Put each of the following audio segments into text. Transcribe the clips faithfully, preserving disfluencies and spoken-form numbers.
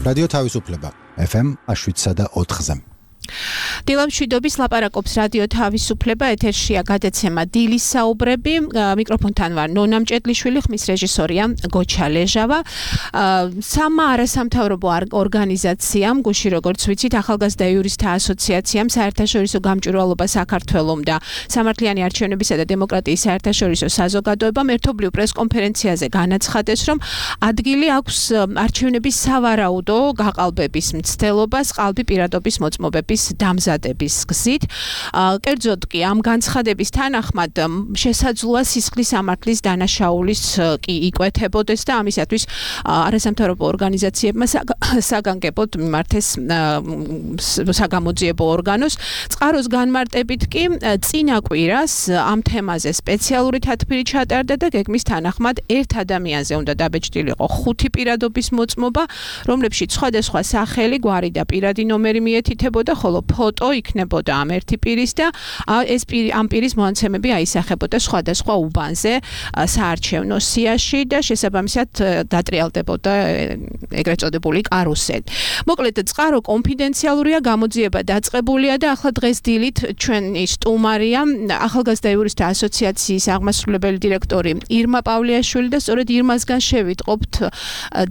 რადიო თავისუფლება ეფ ემ შვიდსა და ოთხზე. დილამშვიდობის ლაპარაკობს რადიო თავისუფლება, ეთერშია გადაცემა დილის საუბრები, მიკროფონთან ვარ ნონა მჭედლიშვილი, ხმის რეჟისორია გოჩა ლეჟავა. სამა არასამთავრობო ორგანიზაციამ, გუში როგორც ვიცით, ახალგაზრდა იურისტთა ასოციაციამ, საერთაშორისო გამჭვირვალობა საქართველომ და სამართლიანი არჩევნებისა და დემოკრატიის საერთაშორისო საზოგადოებამ ერთობლივ პრესკონფერენციაზე განაცხადეს, რომ ადგილი აქვს არჩევნების სავარაუდო გაყალბების მცდელობას, ყალბი პირადობის მოწმობების დამზადების გზით. კერძოდ კი ამ განცხადების თანახმად შესაძლოა სისხლის სამართლის დანაშაულის კი იკვეთებოდეს და ამისათვის არასამთავრობო ორგანიზაციებმა საგანგებოდ მიმართეს საგამოძიებო ორგანოს. წყაროს განმარტებით კი წინა კვირას ამ თემაზე სპეციალური თათბირი ჩატარდა და გეგმის თანახმად ერთ ადამიანზე უნდა დაბეჭდილიყო ხუთი პირადობის მოწმობა, რომლებშიც სხვადასხვა სახელი, გვარი და პირადი ნომერი მიეთითებოდა, ხოლო ფოტო იქნებოდა ამ ერთი პირის და ეს ამ პირის მონაცემები აისახებოდა სხვადასხვა უბანზე საარჩევნო სიაში და შესაბამისად დატრიალდებოდა ეგრეთ წოდებული კარუსელი. მოკლედ წყარო კონფიდენციალურია, გამოძიება დაწყებულია და ახლა დღეს დილით ჩვენი სტუმარია ახალგაზრდა იურისტთა ასოციაციის აღმასრულებელი დირექტორი ირმა პავლიაშვილი და სწორედ ირმასგან შევიტყობთ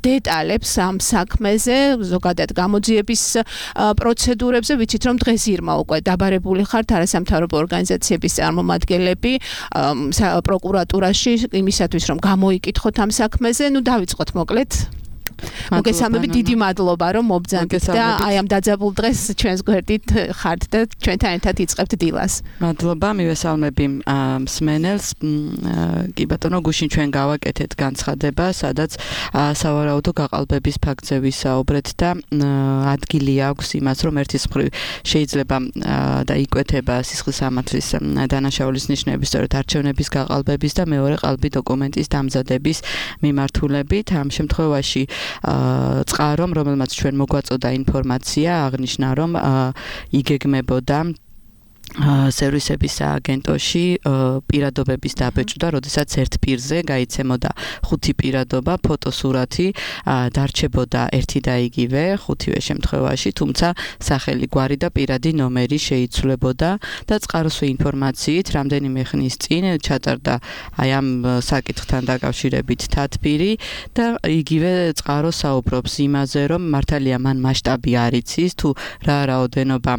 დეტალებს ამ საქმეზე, ზოგადად გამოძიების პროცედურებზე. ვიცით რომ დღეს ირმა უკვე დაბარებული ხართ არასამთავრობო ორგანიზაციების წარმომადგენლები პროკურატურაში იმისათვის რომ გამოიკითხოთ ამ საქმეზე. ნუ დავიწყოთ მოკლედ. მოგესალმები, დიდი მადლობა რომ მობძანდით და აი ამ დაძაბულ დღეს ჩვენს გვერდით ხართ და ჩვენთან ერთად იწყებთ დილას. მადლობა, მივესალმები მსმენელს. კი ბატონო, გუშინ ჩვენ გავაკეთეთ განცხადება, სადაც სავარაუდო გაყალბების ფაქტზე ვისაუბრეთ და ადგილი აქვს იმას, რომ ერთის მხრივ შეიძლება და იკვეთება სისხლის სამართლის დანაშაულის ნიშნები სწორედ არჩევნების გაყალბების და მეორე ყალბი დოკუმენტის დამზადების მიმართულებით. ამ შემთხვევაში წყარომ, რომელმაც ჩვენ მოგვაწოდა ინფორმაცია, აღნიშნა, რომ იგეგმებოდა სერვისების სააგენტოში პირადობების დაბეჭდა, როდესაც ერთ პირზე გაიცემოდა ხუთი პირადობა, ფოტოსურათი, დარჩებოდა ერთი და იგივე ხუთივე შემთხვევაში, თუმცა სახელი, გვარი და პირადი ნომერი შეიცვლებოდა და წყაროს ინფორმაციით რამდენიმე ხნის წინ ჩატარდა აი ამ საკითხთან დაკავშირებით თათბირი და იგივე წყარო საუბრობს იმაზე, რომ მართალია მან მასშტაბი არ იცის, თუ რა რაოდენობა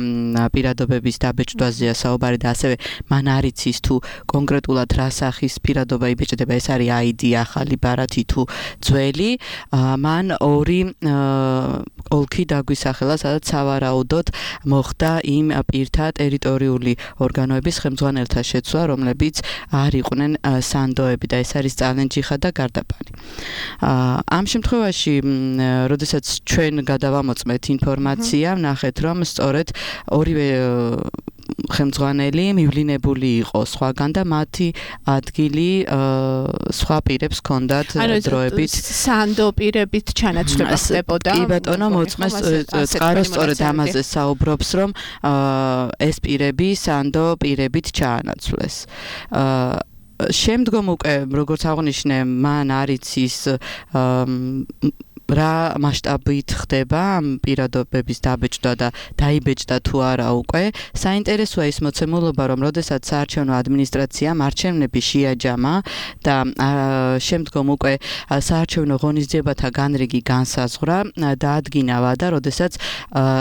პირადობების დაბეჭდვაზე საუბარი და ასევე მან არ იცის თუ კონკრეტულად რა სახის პირადობა იბეჭდება, ეს არის აიდი, ახალი ბარათი თუ ძველი. მან ორი ოლქი დაგვისახელა, სადაც სავარაუდოდ მოხდა იმ პირთა ტერიტორიული ორგანოების ხელმძღვანელთა შეცვლა, რომლებიც არ იყვნენ სანდოები და ეს არის წალენჯიხა და გარდაბანი. ამ შემთხვევაში, როდესაც ჩვენ გადავამოწმეთ ინფორმაცია, ვნახეთ, რომ სწორედ ორივე ხელმძღვანელი მივლინებული იყო სხვაგან და მათი ადგილი სხვა პირებს ჰქონდათ დროებით სანდო პირებით ჩანაცვლება ხდებოდა. კი ბატონო, მოწმეს წყარო სწორედ ამაზე საუბრობს, რომ ეს პირები სანდო პირებით ჩაანაცვლეს. შემდგომ უკვე როგორც აღნიშნე, მან არ იცის რა მასშტაბით ხდება ამ პირადობების დაბეჭდა და დაიბეჭდა თუ არა უკვე. საინტერესოა ის მოცემულობა, რომ როდესაც საარჩევნო ადმინისტრაციამ არჩევნები შეაჯამა და შემდგომ უკვე საარჩევნო ღონისძიებათა განრიგი განსაზღვრა, დაადგინა ვადა, როდესაც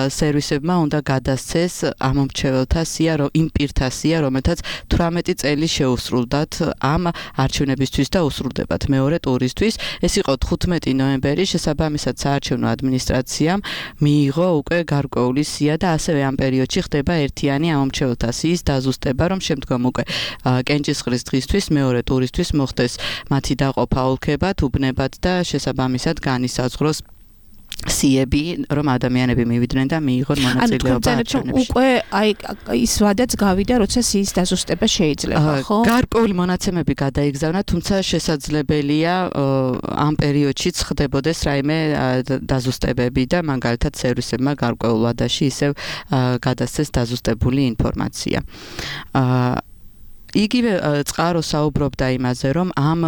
სერვისებმა უნდა გადასცეს ამომრჩეველთა სია, იმ პირთა სია, რომელთაც თვრამეტი წელი შეუსრულდათ ამ არჩევნებისთვის და უსრულდებათ მეორე ტურისთვის. ეს იყო თხუთმეტი ნოემბერი, შესაბამისად საარჩევნო ადმინისტრაციამ მიიღო უკვე გარკვეული სია და ასევე ამ პერიოდში ხდება ერთიანი ამომრჩეველთა სიის დაზუსტება, რომ შემდგომ უკვე კენჭისყრის დღისთვის მეორე ტურისთვის მოხდეს მათი დაყოფა ოლქებად, უბნებად და შესაბამისად განისაზღვროს სიები, რომ ადამიანები მივიდნენ და მიიღონ მონაწილეობა არჩევნებში. უკვე აი ის ვადაც გავიდა, როცა სიის დაზუსტება შეიძლება, ხო? გარკვეული მონაცემები გადაიგზავნა, თუმცა შესაძლებელია ამ პერიოდშიც ხდებოდეს რაიმე დაზუსტებები და მაგალითად სერვისებმა გარკვეულ ვადაში ისევ გადასცეს დაზუსტებული ინფორმაცია. იგივე წყარო საუბრობდა იმაზე, რომ ამ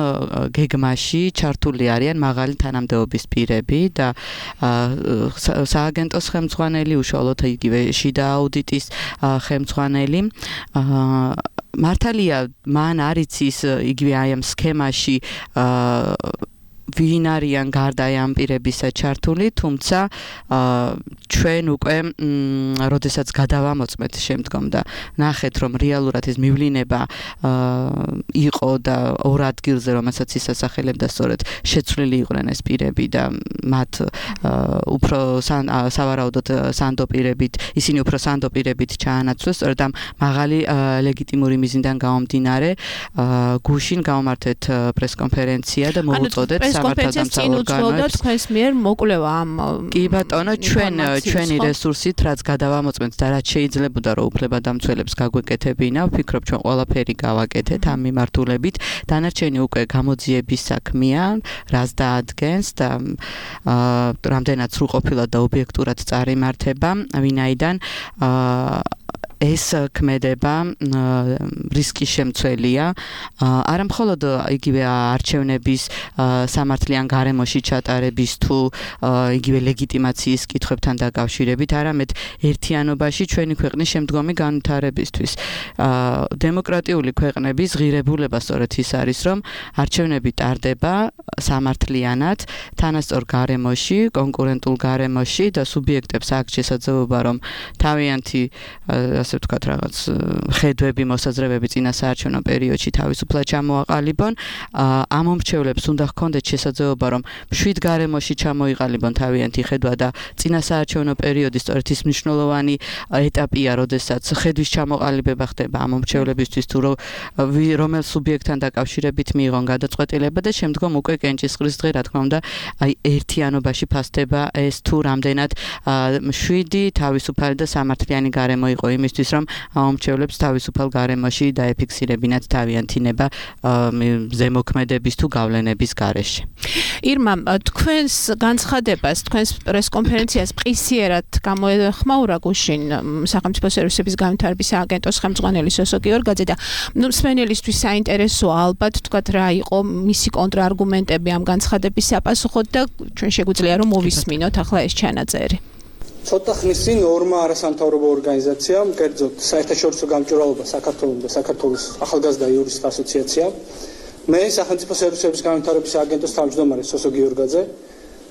გეგმაში ჩართული არიან მაღალი თანამდებობის პირები და სააგენტოს ხელმძღვანელი, უშუალოდ იგივე შიდა აუდიტის ხელმძღვანელი. მართალია, მან არ იცის იგივე აი ამ სქემაში ვინ არიან გარდა ამ პირებისა ჩართული, თუმცა ჩვენ უკვე როდესაც გადავამოწმეთ შემდგომ და ნახეთ, რომ რეალურად ეს მივლინება იყო და ორ ადგილზე, რომელსაც ისასახელებდა, სწორედ შეცვლილი იყვნენ ეს პირები და მათ უფრო სავარაუდოდ სანდო პირებით, ისინი უფრო სანდო პირებით ჩაანაცვლეს, სწორედ ამ მაღალი ლეგიტიმური მიზნიდან გამომდინარე, გუშინ გავმართეთ პრესკონფერენცია და მოუწოდეთ კონფერენციას უწოდოთ თქვენს მიერ მოკვლევა ამ კი ბატონო, ჩვენ ჩვენი რესურსით, რაც გადავამოწმეთ და რაც შეიძლებოდა რომ უფლებადამცველებს გაგვეკეთებინა, ვფიქრობ ჩვენ ყველაფერი გავაკეთეთ ამ მიმართულებით. დანარჩენი უკვე გამოძიების საქმეა, რაც დაადგენს და რამდენად სრულყოფილად და ობიექტურად წარიმართება, ვინაიდან ეს ქმედება რისკის შემცველია. არა მხოლოდ იგივე არჩევნების სამართლიან გარემოში ჩატარების თუ იგივე ლეგიტიმაციის კითხვებთან დაკავშირებით, არამედ ერთიანობაში ჩვენი ქვეყნის შემდგომი განვითარებისთვის. დემოკრატიული ქვეყნების ღირებულება სწორედ ის არის, რომ არჩევნები ტარდება სამართლიანად, თანასწორ გარემოში, კონკურენტულ გარემოში და სუბიექტებს აქვს შესაძლებლობა, რომ თავიანთი ასე ვთქვათ, რაღაც ხედვები, მოსაზრებები წინა საარჩევნო პერიოდში თავისუფლად ჩამოაყალიბონ. ამ მომრჩევლებს უნდა ჰქონდეთ შესაძლებლობა, რომ მშვიდ გარემოში ჩამოიყალიბონ თავიანთი ხედვა და წინა საარჩევნო პერიოდი სწორედ ის მნიშვნელოვანი ეტაპია, როდესაც ხედვის ჩამოყალიბება ხდება ამ მომრჩევლებისთვის, თუ რომელ სუბიექტთან დაკავშირებით მიიღონ გადაწყვეტილება და შემდგომ უკვე კენჭისყრის დღე, რა თქმა უნდა, აი ერთიანობაში ფასდება ეს თუ რამდენად მშვიდი, თავისუფალი და სამართლიანი გარემო იყო იმისთვის, რომ ამომრჩევლებს თავისუფალ გარემოში დაეფიქსირებინათ თავიანთი ნება ზემოქმედების თუ გავლენების გარეშე. ირმა, თქვენს განცხადებას, თქვენს პრესკონფერენციას ყისიერად გამოეხმაურა გუშინ სახელმწიფო სერვისების განვითარების სააგენტოს ხელმძღვანელი სოსო გიორგაძე და ნუ მსმენელისთვის საინტერესოა ალბათ თქვათ რა იყო მისი კონტრარგუმენტები ამ განცხადების საპასუხოდ და ჩვენ შეგვიძლია რომ მოვისმინოთ ახლა ეს ჩანაწერი. ცოტა ხნის წინ ორმა არასამთავრობო ორგანიზაციამ, კერძოდ საერთაშორისო გამჭვირვალობა საქართველოს და საქართველოს ახალგაზრდა იურისტთა ასოციაციამ, მე სახელმწიფო სერვისების განვითარების სააგენტოს თავმჯდომარე სოსო გიორგაძე,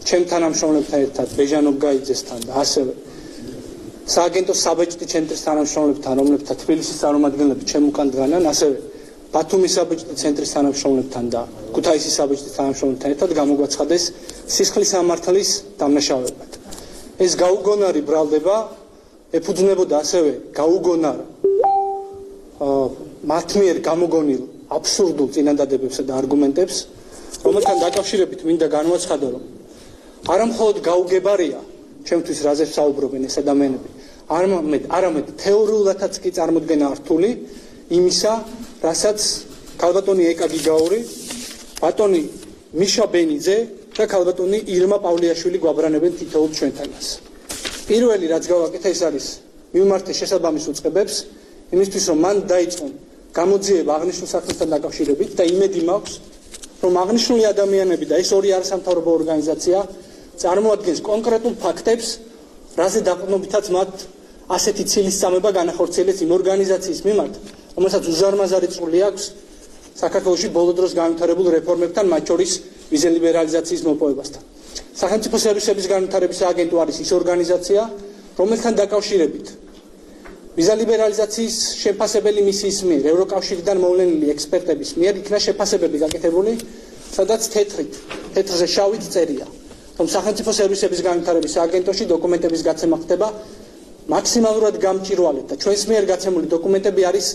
ჩემ თანამშრომლებთან ერთად ბეჟანოვ გაიძესთან და ასევე სააგენტოს საბეჭდი ცენტრის თანამშრომლებთან, რომლებთან თბილისის წარმომადგენლები ჩემ უკან დგანან, ასევე ბათუმის საბეჭდი ცენტრის თანამშრომლებთან და ქუთაისის საბეჭდი თანამშრომლებთან ერთად გამოგვაცხადეს სისხლის სამართლის დამნაშავებად. ეს გაუგონარი ბრალდება ეფუძნებოდა ასევე გაუგონარ მათ მიერ გამოგონილ აბსურდულ წინადადებებსა და არგუმენტებს, რომელთან დაკავშირებით მინდა განვაცხადო, რომ არა მხოლოდ გაუგებარია ჩემთვის რაზეც საუბრობენ ეს ადამიანები, არამედ არამედ თეორიულადაც კი წარმოდგენა რთული იმისა, რასაც ქალბატონი ეკა გიგაური, ბატონი მიშა ბენიძე და ქალბატონი ირმა პავლიაშვილი გვაბრანებენ თითოეულ ჩვენთანაც. პირველი რაც გავაკეთე ეს არის მიმართე შესაბამის უწყებებს იმისთვის რომ მან დაიწყონ გამოძიება აღნიშნულ საქმესთან დაკავშირებით და იმედი მაქვს რომ აღნიშნული ადამიანები და ეს ორი არასამთავრობო ორგანიზაცია წარმოადგენს კონკრეტულ ფაქტებს, რაზე დაყრდნობითაც მათ ასეთი ცილისწამება განახორციელეს იმ ორგანიზაციის მიმართ, რომელსაც უზარმაზარი წვლილი აქვს საქართველოში ბოლო დროს განვითარებულ რეფორმებთან, მათ შორის ვიზა ლიბერალიზაციის მოპოვებასთან. სახელმწიფო სერვისების განვითარების სააგენტო არის ის ორგანიზაცია, რომელთან დაკავშირებით ვიზა ლიბერალიზაციის შეფასებელი მისიის მიერ ევროკავშირიდან მოვლენილი ექსპერტების მიერ იქნა შეფასებები გაკეთებული, სადაც თეთრით, თეთრზე შავით წერია, რომ სახელმწიფო სერვისების განვითარების სააგენტოში დოკუმენტების გაცემა ხდება მაქსიმალურად გამჭვირვალედ და ჩვენს მიერ გაცემული დოკუმენტები არის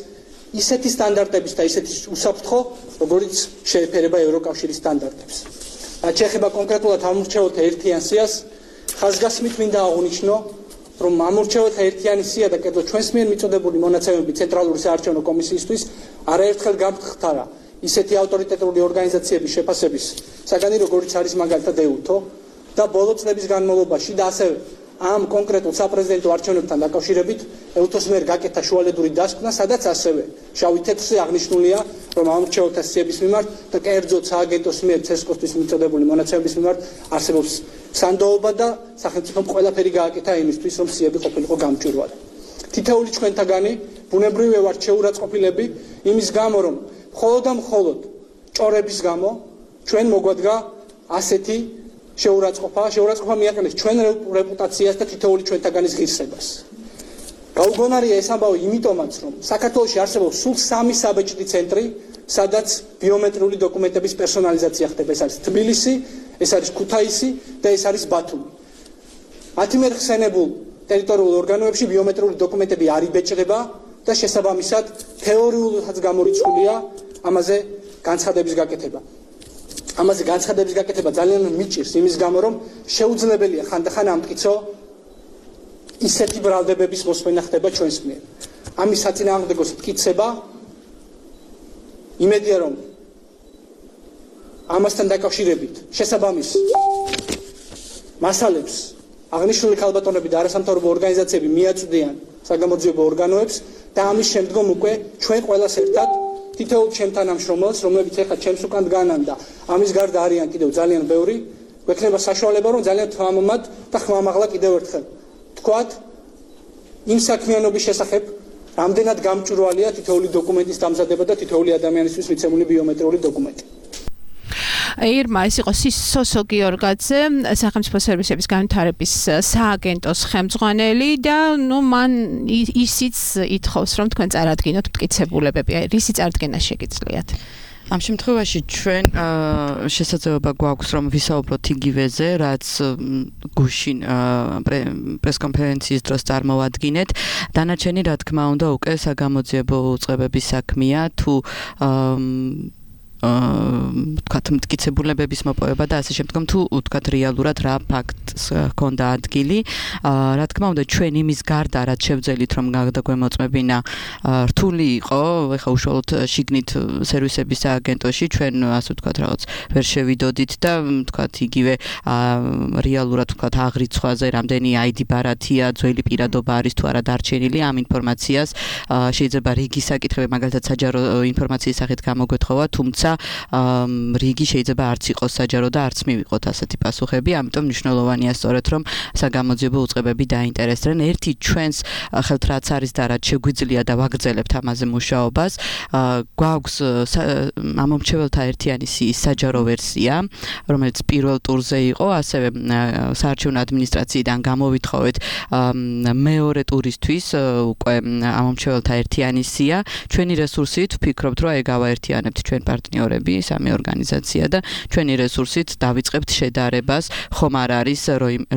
ისეთი სტანდარტების და ისეთი უსაფრთხო, როგორც შეეფერება ევროკავშირის სტანდარტებს. რაც შეეხება კონკრეტულად ამორჩეველთა ერთიან სიას, ხაზგასმით მინდა აღვნიშნო, რომ ამორჩეველთა ერთიანი სია და კერძოდ ჩვენს მიერ მიწოდებული მონაცემები ცენტრალური საარჩევნო კომისიისთვის არაერთხელ გამხდარა ისეთი ავტორიტეტული ორგანიზაციების შეფასების საგანი, როგორც არის მაგალითად ეუთო და ბოლო წლების განმავლობაში და ასევე ამ კონკრეტულ საპრეზიდენტო არჩევნებთან დაკავშირებით ელთოს მიერ გაკეთა შუალედური დასკვნა, სადაც ასევე შავი თეთრზე აღნიშნულია, რომ ამ რჩეულთა სიების მიმართ და კერძოდ სააგენტოს მიერ ცესკოსთვის მიწოდებული მონაცემების მიმართ არსებობს სანდოობა და სახელმწიფომ ყველაფერი გააკეთა იმისთვის, რომ სიები ყოფილიყო გამჭვირვალე. თითოეული ჩვენთაგანი ბუნებრივია ვართ შეურაცხყოფილები იმის გამო, რომ მხოლოდ და მხოლოდ ჭორების გამო ჩვენ მოგვადგა ასეთი შეურაცხყოფა, შეურაცხყოფა მიაყენეს ჩვენ რეპუტაციას და თითოეული ჩვენთაგანის ღირსებას. გაუგონარია ეს ამბავი იმიტომაც, რომ საქართველოში არსებობს სულ სამი საბეჭდი ცენტრი, სადაც ბიომეტრიული დოკუმენტების პერსონალიზაცია ხდება. ეს არის თბილისი, ეს არის ქუთაისი და ეს არის ბათუმი. მათი მიერ ხსენებულ ტერიტორიულ ორგანოებში ბიომეტრიული დოკუმენტები არ იბეჭდება და შესაბამისად თეორიულადაც გამორიცხულია ამაზე განცხადების გაკეთება. ამაზე განცხადების გაკეთება ძალიან მიჭირს იმის გამო, რომ შეუძლებელია ხანდახან ამტკიცო ისეთი ბრალდებების მოსმენა ხდება ჩვენს მიერ. ამის საწინააღმდეგოს მტკიცება იმედია, რომ ამასთან დაკავშირებით შესაბამის მასალებს აღნიშნული ქალბატონები და არასამთავრობო ორგანიზაციები მიაწვდიან საგამოძიებო ორგანოებს და ამის შემდგომ უკვე ჩვენ ყველას ერთად თითოეულ ჩემთან ამშრომელს, რომლებიც ახლა ჩემს უკან დგანან და ამის გარდა არიან კიდევ ძალიან ბევრი, გვექნება საშუალება, რომ ძალიან თამამად და ხმამაღლა კიდევ ერთხელ თქვათ იმ საქმიანობის შესახებ, რამდენად გამჭვირვალეა თითოეული დოკუმენტის დამზადება და თითოეული ადამიანისთვის მიცემული ბიომეტრიული დოკუმენტი. ირმა, ეს იყო სოსო გიორგაძე, სახელმწიფო სერვისების განვითარების სააგენტოს ხელმძღვანელი და ნუ მან ისიც ითხოვს, რომ თქვენ წარადგინოთ მტკიცებულებები. რისი წარდგენა შეგიძლიათ? ამ შემთხვევაში ჩვენ შესაძლებლობა გვაქვს რომ ვისაუბროთ იგივეზე, რაც გუშინ პრესკონფერენციის დროს წარმოვადგინეთ. დანარჩენი, რა თქმა უნდა, უკვე საგამოძიებო უწყებების საქმეა, თუ თქვათ მტკიცებულებების მოპოვება და ასე შემდგომ, თუ თქვათ რეალურად რა ფაქტს ჰქონდა ადგილი. რა თქმა უნდა, ჩვენ იმის გარდა რაც შევძელით რომ გადაგვემოწმებინა რთული იყო, ეხა უშუალოდ შიგნით სერვისების სააგენტოში ჩვენ ასე ვთქვათ რაღაც ვერ შევიდოდით და თქვათ იგივე რეალურად თქვათ აღრიცხვაზე რამდენი აი დი ბარათია, ძველი პირადობა არის თუ არა დარჩენილი, ამ ინფორმაციას შეიძლება რიგი საკითხები მაგალითად საჯარო ინფორმაციის სახით გამოგვეთხოვა, თუმცა რიგი შეიძლება არც იყოს საჯარო და არც მივიღოთ ასეთი პასუხები, ამიტომ მნიშვნელოვანია სწორედ რომ საგამოძიებო უწყებები დაინტერესდნენ. ერთი ჩვენს ხელთ რაც არის და რაც შეგვიძლია და ვაგრძელებთ ამაზე მუშაობას, გვაქვს ამომრჩეველთა ერთიანი სიის საჯარო ვერსია, რომელიც პირველ ტურზე იყო, ასევე საარჩევნო ადმინისტრაციიდან გამოვითხოვეთ მეორე ტურისთვის უკვე ამომრჩეველთა ერთიანი სია. ჩვენი რესურსით ვფიქრობთ, რომ ეგ გავაერთიანებთ ჩვენ პარტნიორები სამი ორგანიზაცია და ჩვენი რესურსით დავიწყებთ შედარებას, ხომ არ არის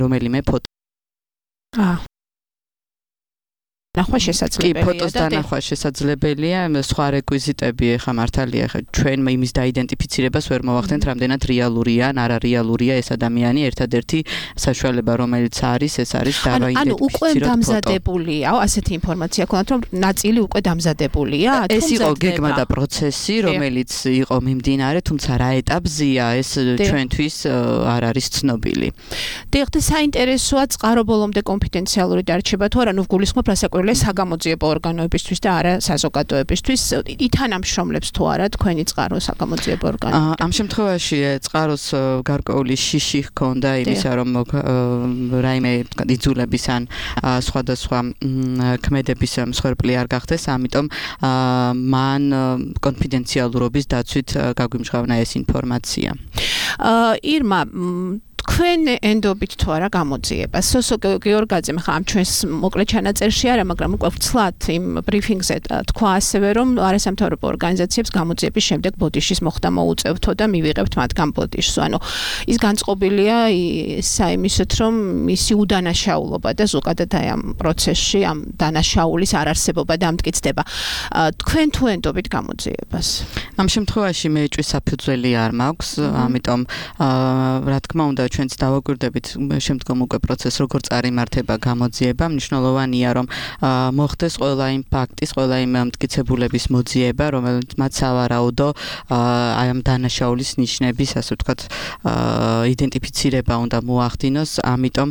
რომელიმე ფოტო. აა ნახვა შესაძლებელია. კი, ფოტოს დანახვა შესაძლებელია, სხვა რეკვიზიტები ახლა მართალია, ახლა ჩვენ იმის დაიდენტიფიცირებას ვერ მოვახდენთ, რამდენად რეალურია, ან არარეალურია ეს ადამიანი, ერთადერთი საშუალება რომელიც არის, ეს არის დავაიდენტიფიციროთ ფოტო. ანუ უკვე დამზადებულია, ასეთი ინფორმაცია ქონათ, რომ ნაწილი უკვე დამზადებულია, ეს იყო გეგმა და პროცესი, რომელიც იყო მიმდინარე, თუმცა რა ეტაპზეა, ეს ჩვენთვის არ არის ცნობილი. დიახ, და საინტერესოა წყარო ბოლომდე კონფიდენციალური დარჩება თუ არა, ნუ გულისხმობ რასაკვირველია საგამოძიებო ორგანოებისთვის და არა საზოგადოებისთვის, ითანამშრომლებს თუ არა თქვენი წყარო საგამოძიებო ორგანოები. ამ შემთხვევაში წყაროს გარკვეული შიში ჰქონდა იმისა, რომ რაიმე იძულების ან სხვადასხვა ქმედების მსხვერპლი არ გახდეს, ამიტომ მან კონფიდენციალურობის დაცვით გაგვიმჟღავნა ეს ინფორმაცია. ირმა, თქვენ ენდობით თუ არა გამოძიება. სოსო გიორგაძემ ხა ამ ჩვენს მოკლე ჩანაწერში არა, მაგრამ უკვე ვცლად იმ ბრიფინგზე თქვა ასევე, რომ არასამთავრობო ორგანიზაციებს გამოძიების შემდეგ ბოდიშის მოხდა მოუწევთო და მივიღებთ მათგან ბოდიშს. ანუ ის განწყობილია საიმისოთ, რომ მისი უდანაშაულობა და ზოგადად აი ამ პროცესში ამ დანაშაულის არარსებობა და ამტკიცდება. თქვენ თუ ენდობით გამოძიებას? ამ შემთხვევაში მეჭვის საფუძველი არ მაქვს, ამიტომ რა თქმა უნდა ჩვენ ჩვენც დავაკვირდებით შემდგომ უკვე პროცესს როგორ წარიმართება გამოძიება, მნიშვნელოვანია რომ მოხდეს ყველა იმ ფაქტის, ყველა იმ მტკიცებულების მოძიება, რომელიც მათ სავარაუდო აი ამ დანაშაულის ნიშნების, ასე ვთქვათ, იდენტიფიცირება უნდა მოახდინოს, ამიტომ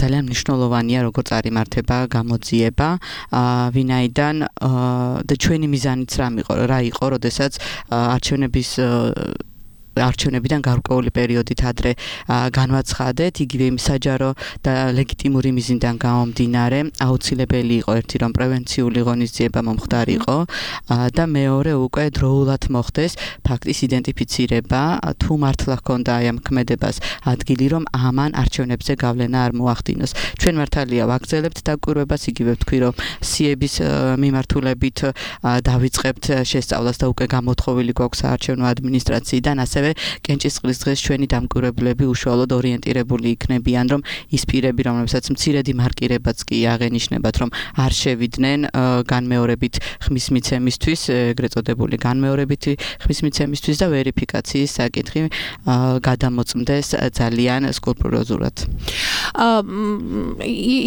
ძალიან მნიშვნელოვანია როგორ წარიმართება გამოძიება, ვინაიდან და ჩვენი მიზანიც რა იყო, როდესაც არჩევნების არჩევნებიდან გარკვეული პერიოდით ადრე განვაცხადეთ, იგივე იმ საჯარო და ლეგიტიმური მიზნიდან გამომდინარე, აუცილებელი იყო ერთი რომ პრევენციული ღონისძიება მომხდარიყო და მეორე უკვე დროულად მოხდეს ფაქტის იდენტიფიცირება, თუ მართლა ჰქონდა აი ამ ქმედებას ადგილი რომ ამან არჩევნებზე გავლენა არ მოახდინოს. ჩვენ მართალია ვაგრძელებთ დაკვირვებას, იგივე ვთქვი რომ სიების მიმართულებით დავიწყებთ შესწავლას და უკვე გამოთხოვილი გვაქვს საარჩევნო ადმინისტრაციიდან, ასევე კენჭისყრის დღეს ჩვენი დამკვირვებლები უშუალოდ ორიენტირებული იქნებიან, რომ ის პირები, რომლებსაც მცირედი მარკირებაც კი აღენიშნებათ, რომ არ შევიდნენ განმეორებით ხმის მიცემისთვის, ეგრეთ წოდებული განმეორებითი ხმის მიცემისთვის და ვერიფიკაციის საკითხი გადამოწმდეს ძალიან სკრუპულოზურად.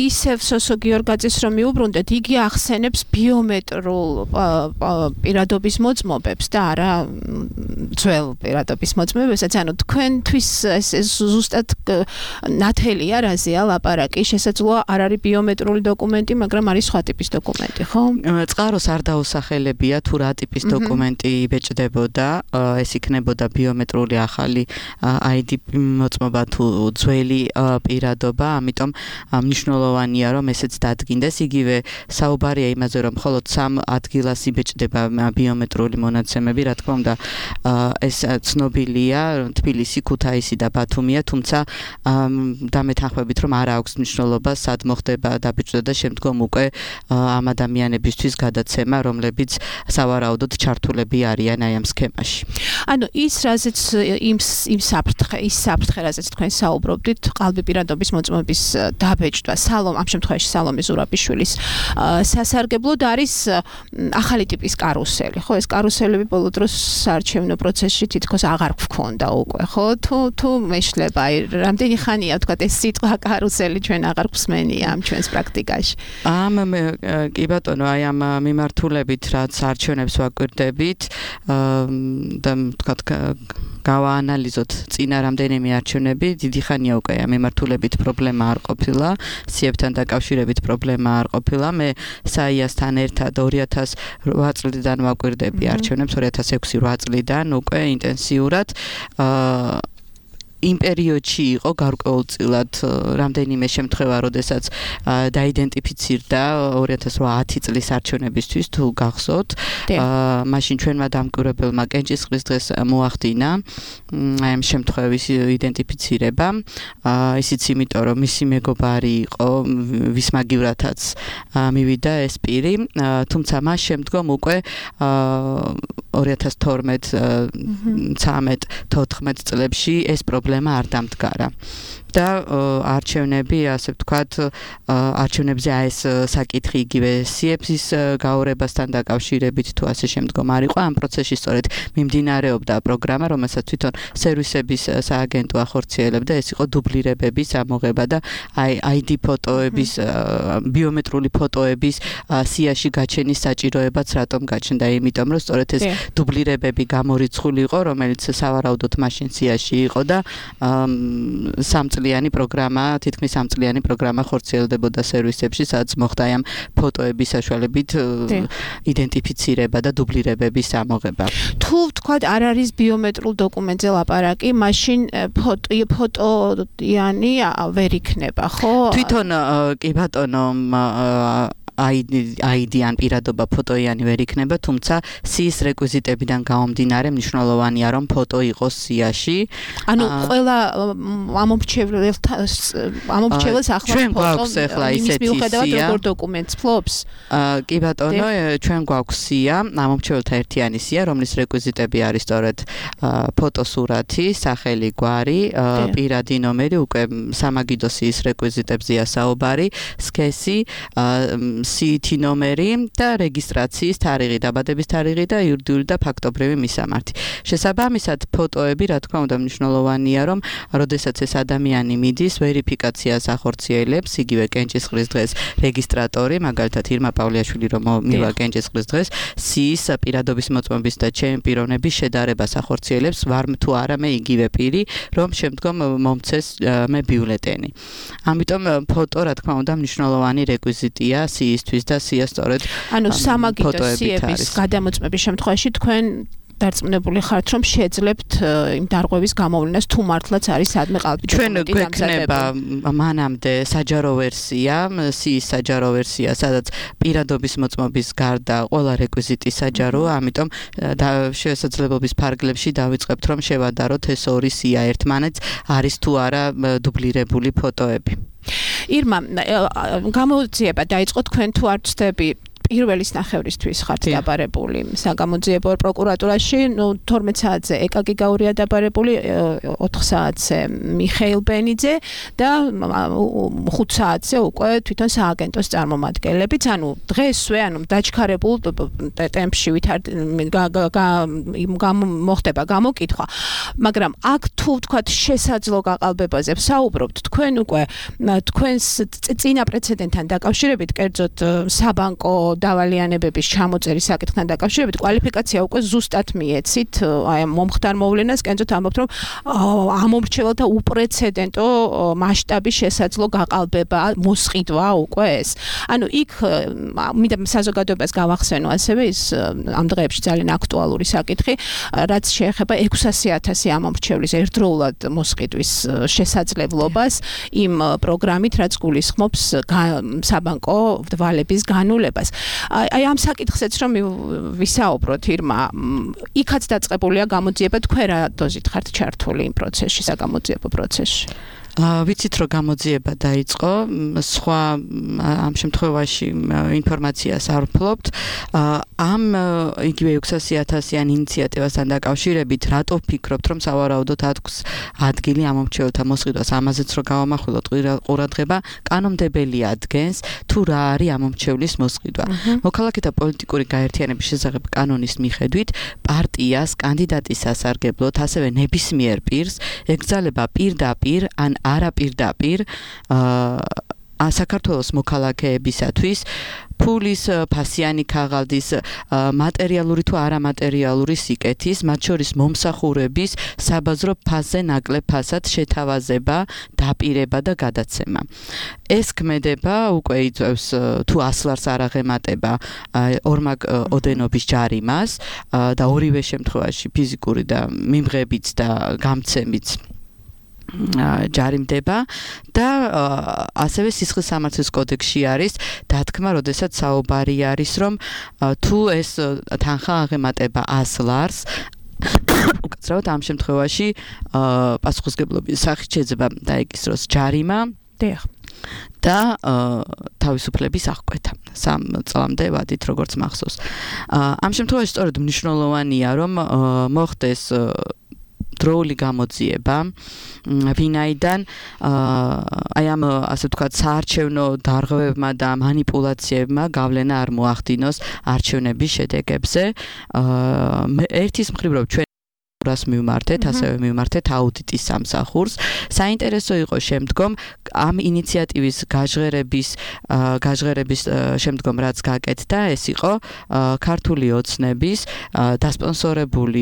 ისევ სოსო გიორგაძეს რომ მიუბრუნდეთ, იგი ახსენებს ბიომეტრულ პირადობის მოწმობებს და არა ძველ პირადობის მოწმობებსაც, ანუ თქვენთვის ეს ზუსტად ნათელია რაზეა ლაპარაკი, შესაძლოა არ არის ბიომეტრული დოკუმენტი, მაგრამ არის სხვა ტიპის დოკუმენტი, ხო? წყაროს არ დაუსახელებია თუ რა ტიპის დოკუმენტი იბეჭდებოდა, ეს იქნებოდა ბიომეტრული ახალი აი დი მოწმობა თუ ძველი პირადობა, ამიტომ მნიშვნელოვანია რომ ესეც დადგინდეს, იგივე საუბარია იმაზე რომ მხოლოდ სამ ადგილას იბეჭდება ბიომეტრული მონაცემები, რა თქმა უნდა ეს ცნობილია, თბილისი, ქუთაისი და ბათუმია, თუმცა დამეთანხმებით რომ არ აქვს მნიშვნელობა სად მოხდება დაბეჭდა და შემდგომ უკვე ამ ადამიანებისთვის გადაცემა, რომლებიც სავარაუდოდ ჩართულები არიან აი ამ სქემაში. ანუ ის რაზეც იმ იმ საფრთხე, ის საფრთხე რაზეც თქვენ საუბრობდით, ყალბი პირადობის მოწმობის დაბეჭდვა, სალომ ამ შემთხვევაში სალომე ზურაბიშვილის სასარგებლოდ არის ახალი ტიპის კარუსელი, ხო? ეს კარუსელები ბოლო დროს საარჩევნო პროცესში თითქოს აღარ გვქონდა უკვე, ხო? თუ თუ მეშლება, აი, რამდენი ხანია თქვა ეს სიტყვა კარუსელი ჩვენ აღარ გვსმენია ამ ჩვენს პრაქტიკაში. ამ კი ბატონო, აი ამ მიმართულებით რაც არჩევნებს ვაკვირდებით და თქვა გავაანალიზოთ წინა რამდენიმე არჩევნები, დიდი ხანია უკვე ამ მიმართულებით პრობლემა არ ყოფილა, სიებთან დაკავშირებით პრობლემა არ ყოფილა. მე საიასთან ერთად ორი ათას რვა წლიდან ვაკვირდები არჩევნებს, ორი ათას ექვსი რვა წლიდან უკვე ინტენსიურად იმ პერიოდში იყო გარკვეულწილად რამდენიმე შემთხვევა, როდესაც დაიდენტიფიცირდა ორი ათას ათი წლის არჩევნებისთვის, თუ გახსოვთ, მაშინ ჩვენმა დამკვირვებელმა კენჭისყრის დღეს მოახდინა აი ამ შემთხვევის იდენტიფიცირება, ისიც იმიტომ, რომ მისი მეგობარი იყო, ვის მაგივრათაც მივიდა ეს პირი, თუმცა მას შემდგომ უკვე ორი ათას თორმეტ ცამეტ თოთხმეტ წლებში ეს პრობლემა არ დამდგარა. და არჩევნები, ასე ვთქვათ, არჩევნებზე აი ეს საკითხი იგივე სიების გაორებასთან დაკავშირებით თუ ასე შემდგომ არ იყო, ამ პროცესში სწორედ მიმდინარეობდა პროგრამა, რომელსაც თვითონ სერვისების სააგენტო ახორციელებდა, ეს იყო დუბლირებების ამოღება და აი აი დი ფოტოების, ბიომეტრული ფოტოების სიაში გაჩენის საჭიროებაც რატომ გაჩნდა, იმიტომ რომ სწორედ ეს დუბლირებები გამორიცხული იყო, რომელიც სავარაუდოდ მაშინ სიაში იყო და სამწლიანი პროგრამა, თითქმის სამწლიანი პროგრამა ხორციელდებოდა სერვისებში, სადაც მოხდა ამ ფოტოების საშუალებით იდენტიფიცირება და დუბლირებების ამოღება. თუ ვთქვათ, არ არის ბიომეტრულ დოკუმენტზე ლაპარაკი, მაშინ ფოტოიანი ვერ იქნება, ხო? თვითონ კი ბატონო, აი დი ან პირადობა ფოტოიანი ვერ იქნება, თუმცა სიის რეკვიზიტებიდან გამომდინარე მნიშვნელოვანია რომ ფოტო იყოს სიაში. ანუ ყველა ამომრჩეველს ამომრჩეველს ახლა ფოტო იმის მიუხედავად როგორ დოკუმენტს ფლობს? კი ბატონო, ჩვენ გვაქვს სია, ამომრჩეველთა ერთიანი სია, რომლის რეკვიზიტები არის სწორედ ფოტოსურათი, სახელი, გვარი, პირადი ნომერი, უკვე სამაგიდო სიის რეკვიზიტებზეა საუბარი, სქესი, სიითი ნომერი და რეგისტრაციის თარიღი, დაბადების თარიღი და იურიდიული და ფაქტობრივი მისამართი. შესაბამისად, ფოტოები, რა თქმა უნდა, მნიშვნელოვანია, რომ როდესაც ეს ადამიანი მიდის, ვერიფიკაციას ახორციელებს, იგივე კენჭისყრის დღეს რეგისტრატორი, მაგალითად ირმა პავლიაშვილი რომ მივა კენჭისყრის დღეს, სიის პირადობის მოწმობის და ჩემი პიროვნების შედარებას ახორციელებს, ვარ თუ არა მე იგივე პირი, რომ შემდგომ მომცეს მე ბიულეტენი. ამიტომ ფოტო, რა თქმა უნდა, მნიშვნელოვანი რეკვიზიტია სიისთვის და სია სწორედ ანუ სამაგიდო სიების გადამოწმების შემთხვევაში თქვენ დარწმუნებული ხართ, რომ შეძლებთ იმ დარღვევის გამოვლენას თუ მართლაც არის სადმე ყალბი ჩვენ გვექნება მანამდე საჯარო ვერსია, სიის საჯარო ვერსია, სადაც პირადობის მოწმობის გარდა ყველა რეკვიზიტი საჯაროა, ამიტომ შესაძლებლობის ფარგლებში დავიწყებთ, რომ შევადაროთ ეს ორი სია ერთმანეთს არის თუ არა დუბლირებული ფოტოები. ირმა, გამოძიება დაიწყო თქვენ თუ არ ვცდები პირველის ნახევრისთვის ხართ დაბარებული საგამოძიებო პროკურატურაში, ნუ თორმეტ საათზე ეკაკი გაურია დაბარებული, ოთხ საათზე მიხეილ ბენიძე და ხუთ საათზე უკვე თვითონ სააგენტოს წარმომადგენლებიც, ანუ დღესვე, ანუ დაჩქარებულ ტემპში ვითარ მოხდება გამოკითხვა, მაგრამ აქ თუ ვთქვათ შესაძლო გაყალბებაზე ვსაუბრობთ, თქვენ უკვე თქვენს წინა პრეცედენტთან დაკავშირებით, კერძოდ საბანკო დავალიანებების ჩამოწერის საკითხთან დაკავშირებით კვალიფიკაცია უკვე ზუსტად მიეცით აი მომხდარ მოვლენას, კერძოდ ამბობთ, რომ ამომრჩეველთა უპრეცედენტო მასშტაბის შესაძლო გაყალბება, მოსყიდვა უკვე ეს. ანუ იქ მინდა საზოგადოებას გავახსენო ასევე ის ამ დღეებში ძალიან აქტუალური საკითხი, რაც შეეხება ექვსასი ათასი ამომრჩევლის ერთდროულად მოსყიდვის შესაძლებლობას იმ პროგრამით, რაც გულისხმობს საბანკო ვალების განულებას. აი ამ საკითხზეც რომ ვისაუბროთ, ირმა, იქაც დაწყებულია გამოძიება, თქვენ რა დოზით ხართ ჩართული იმ პროცესში, საგამოძიებო პროცესში? ვიცით რომ გამოძიება დაიწყო, სხვა ამ შემთხვევაში ინფორმაციას არ ვფლობთ. ამ იგივე ექვსასი ათასიან ინიციატივასთან დაკავშირებით რატო ვფიქრობთ, რომ სავარაუდოდ ათქს ადგილი ამომრჩეველთა მოსყიდვას, ამაზეც რომ გავამახვილოთ ყურადღება, კანონმდებელი ადგენს თუ რა არის ამომრჩევლის მოსყიდვა. მოქალაქეთა პოლიტიკური გაერთიანების შესახებ კანონის მიხედვით, პარტიას კანდიდატის სასარგებლოდ, ასევე ნებისმიერ პირს ეკრძალება პირდაპირ ან არაპირდაპირ აა საქართველოს მოქალაქეებისათვის ფულის, ფასიანი ქაღალდის, მატერიალური თუ არამატერიალური სიკეთის, მათ შორის მომსახურების, საბაზრო ფასზე ნაკლებ ფასად შეთავაზება, დაპირება და გადაცემა. ეს ქმედება უკვე იწვევს თუ ას ლარს არ აღემატება ორმაგ ოდენობის ჯარიმას და ორივე შემთხვევაში ფიზიკური და მიმღებიც და გამცემიც ჯარიმდება და ასევე სისხლის სამართლის კოდექსში არის დათქმა, როდესაც საუბარი არის, რომ თუ ეს თანხა აღემატება ას ლარს, უკაცრავად ამ შემთხვევაში პასუხისმგებლობის სახით შეიძლება დაეკისროს ჯარიმა და თავისუფლების აღკვეთა სამ წლამდე ვადით, როგორც მახსოვს. ამ შემთხვევაში სწორედ მნიშვნელოვანია, რომ მოხდეს დროული გამოძიება, ვინაიდან აი ამ ასე ვთქვათ საარჩევნო დარღვევებმა და манипуляციებმა გავლენა არ მოახდინოს არჩევნების შედეგებზე. ერთის მხრივ რომ ჩვენ რას მივმართეთ, ასევე მივმართეთ აუდიტის სამსახურს. საინტერესო იყო შემდგომ ამ ინიციატივის გაჟღერების გაჟღერების შემდგომ რაც გაკეთდა, ეს იყო ქართული ოცნების დასპონსორებული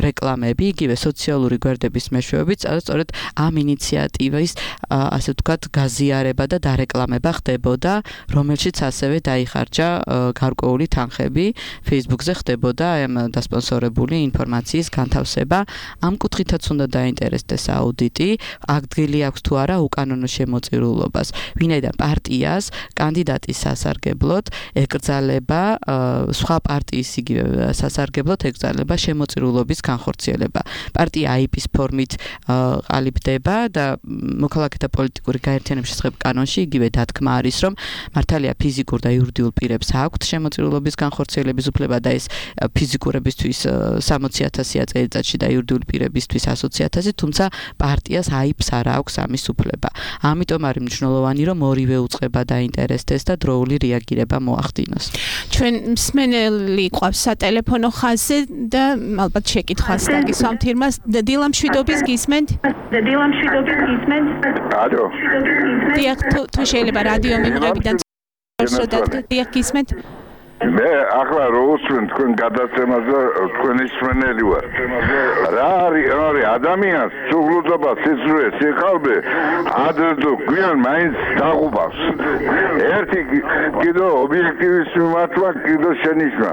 რეკლამები, იგივე სოციალური გვერდების მეშვეობით, სწორედ ამ ინიციატივის ასე ვთქვათ გაზიარება და დარეკლამება ხდებოდა, რომელშიც ასევე დაიხარჯა გარკვეული თანხები, Facebook-ზე ხდებოდა ამ დასპონსორებული ინფორმაციის განთავსება. ამ კუთხითაც უნდა დაინტერესდეს აუდიტი, ადგილი აქვს თუ არა უკანონო შემოწირულობას. ვინაიდან პარტიას კანდიდატის სასარგებლოდ ეკრძალება სხვა პარტიის იგივე სასარგებლოდ ეკრძალება შემოწირულობის განხორციელება. პარტია აიპის ფორმით ყალიბდება და მოქალაქეთა პოლიტიკური გაერთიანების შესახებ კანონში იგივე დათქმა არის, რომ მართალია ფიზიკურ და იურიდიულ პირებს აქვთ შემოწირულობის განხორციელების უფლება და ეს ფიზიკურებისთვის სამოცი ათასია წელიწადში კავშირში და იურიდიული პირებისთვის ათი ათასი, თუმცა პარტიას აიფს არ აქვს ამის უფლება. ამიტომ არის მნიშვნელოვანი, რომ ორივე უწყება დაინტერესდეს და დროული რეაგირება მოახდინოს. ჩვენ მსმენელი ყავს სატელეფონო ხაზზე და ალბათ შეკითხვას დაგისვამთ ირმას. დილა მშვიდობის გისმენთ? დილა მშვიდობის გისმენთ? ალო. დიახ, თუ შეიძლება რადიო მიმღებიდან დიახ გისმენთ? მე ახლა რო უსმენ თქვენ გადაცემაზე თქვენი მსმენელი ვარ. რა არის არის ადამიანს სულუდობა სიზრუე სიხალბე ადრე გვიან მაინც დაღუბავს. ერთი კიდო ობიექტივის მიმართვა კიდო შენიშვნა.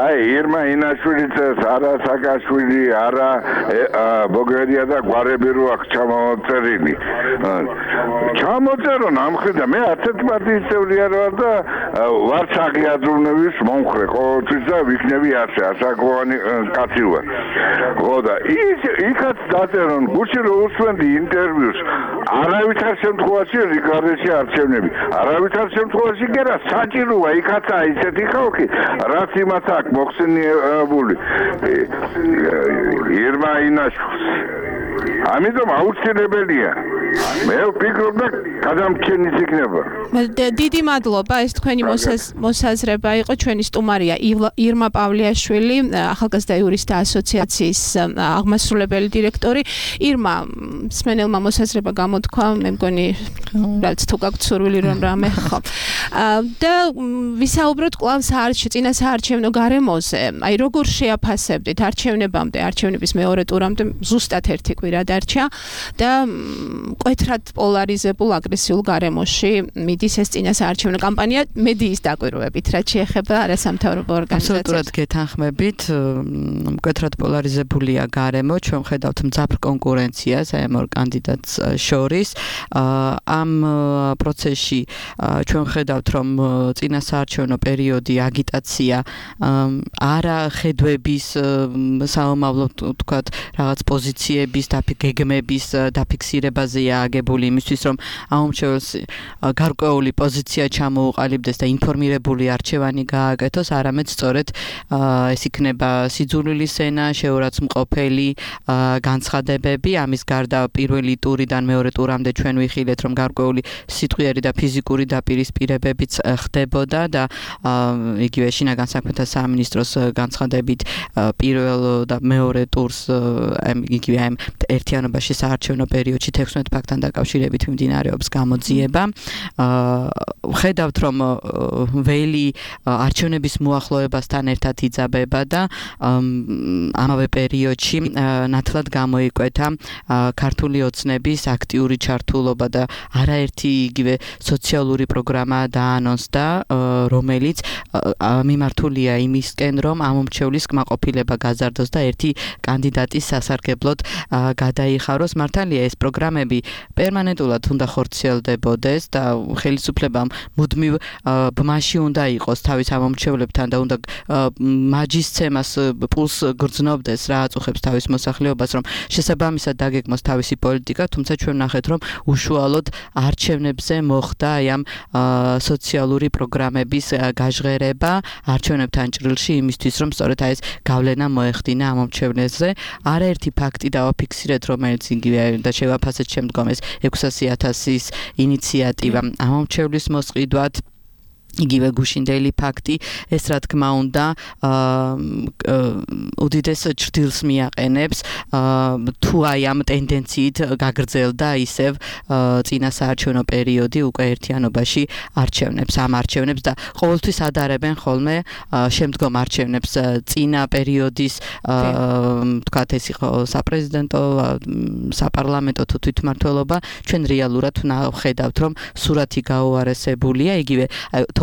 აი ირმა ინაშვილიც არა საკაშვილი არა ბოგერია და გვარები რო აქ ჩამოწერილი. ჩამოწერო ნამხედა მე ასეთ პარტიის წევრი არ ვარ და ვარ საგიად ჟურნალის მომხრე ყოველთვის და ვიქნები ასე ასაკოვანი კაცი ვარ. ხო და ის იქაც დაწერონ გუჩი რო უსვენდი ინტერვიუს არავითარ შემთხვევაში რიგარეში არჩევნები არავითარ შემთხვევაში გერა საჭიროა იქაცა ისეთი ხალხი რაც იმას აქვს მოხსენიებული ირმა ინაშვილს ამიტომ აუცილებელია მე ვფიქრობ და გადამრჩენის იქნება. დიდი მადლობა ეს თქვენი მოსაზრება იყო ჩვენი სტუმარია ირმა პავლიაშვილი ახალგაზრდა იურისტთა ასოციაციის აღმასრულებელი დირექტორი. ირმა მსმენელმა მოსაზრება გამოთქვა მე მგონი რაც თუ გაქვთ სურვილი რომ რამე ხო და ვისაუბროთ კვლავ წინა საარჩევნო გარემოზე. აი როგორ შეაფასებდით არჩევნებამდე არჩევნების მეორე ტურამდე ზუსტად ერთი კვირა დარჩა და მკვეთრად პოლარიზებულ აგრესიულ გარემოში მიდის ეს წინა საარჩევნო კამპანია მედიის დაკვირვებით რაც შეეხება არასამთავრობო ორგანიზაციებს. აბსოლუტურად გეთანხმებით, მკვეთრად პოლარიზებულია გარემო, ჩვენ ხედავთ მძაფრ კონკურენციას აი ამ ორ კანდიდატს შორის. ამ პროცესში ჩვენ ხედავთ, რომ წინა საარჩევნო პერიოდი აგიტაცია არა ხედვების საომავლო თქვათ რაღაც პოზიციების გეგმების დაფიქსირებაზეა აგებული იმისთვის, რომ ამომრჩეველს გარკვეული პოზიცია ჩამოუყალიბდეს და ინფორმირებული არჩევანი გააკეთოს, არამედ სწორედ ეს იქნება სიძულვილის ენა, შეურაცხმყოფელი განცხადებები. ამის გარდა პირველი ტურიდან მეორე ტურამდე ჩვენ ვიხილეთ, რომ გარკვეული სიტყვიერი და ფიზიკური დაპირისპირებებიც ხდებოდა და იგივე შინაგან საქმეთა სამინისტროს განცხადებით პირველ და მეორე ტურს იგივე ამ ერთიანობაში საარჩევნო პერიოდში თექვსმეტ ფაქტთან დაკავშირებით მიმდინარეობს გამოძიება. ხედავთ, რომ ველი არჩევნების მოახლოებასთან ერთად იძაბება და ამავე პერიოდში ნათლად გამოიკვეთა ქართული ოცნების აქტიური ჩართულობა და არაერთი იგივე სოციალური პროგრამა დაანონსდა, რომელიც მიმართულია იმისკენ, რომ ამომრჩევლის კმაყოფილება გაზარდოს და ერთი კანდიდატის სასარგებლოდ გადაიხაროს. მართალია ეს პროგრამები პერმანენტულად უნდა ხორციელდებოდეს და ხელისუფლებამ მუდმივ ბმაში უნდა იყოს თავის ამომრჩევლებთან და უნდა მაჯისცემას პულს გრძნობდეს რა აწუხებს თავის მოსახლეობას, რომ შესაბამისად დაგეგმოს თავისი პოლიტიკა, თუმცა ჩვენ ნახეთ, რომ უშუალოდ არჩევნებზე მოხდა აი ამ სოციალური პროგრამების გაჟღერება არჩევნებთან ჭრილში იმისთვის, რომ სწორედ აი ეს გავლენა მოეხდინა ამომრჩევლებზე. არაერთი ფაქტი დავაფიქსირეთ, რომელიც იგივე და შევაფასეთ შემდგომ ეს ექვსასი ათასის ინიციატივა ამომრჩევლის მოსყიდვად იგივე გუშინდელი ფაქტი, ეს რა თქმა უნდა უდიდეს ჭრდილს მიაყენებს თუ აი ამ ტენდენციით გაგრძელდა ისევ წინა საარჩევნო პერიოდი უკვე ერთიანობაში არჩევნებს, ამ არჩევნებს და ყოველთვის ადარებენ ხოლმე შემდგომ არჩევნებს წინა პერიოდის თქვათ ეს იყო საპრეზიდენტო, საპარლამენტო თუ თვითმმართველობა, ჩვენ რეალურად ხედავთ, რომ სურათი გაუარესებულია, იგივე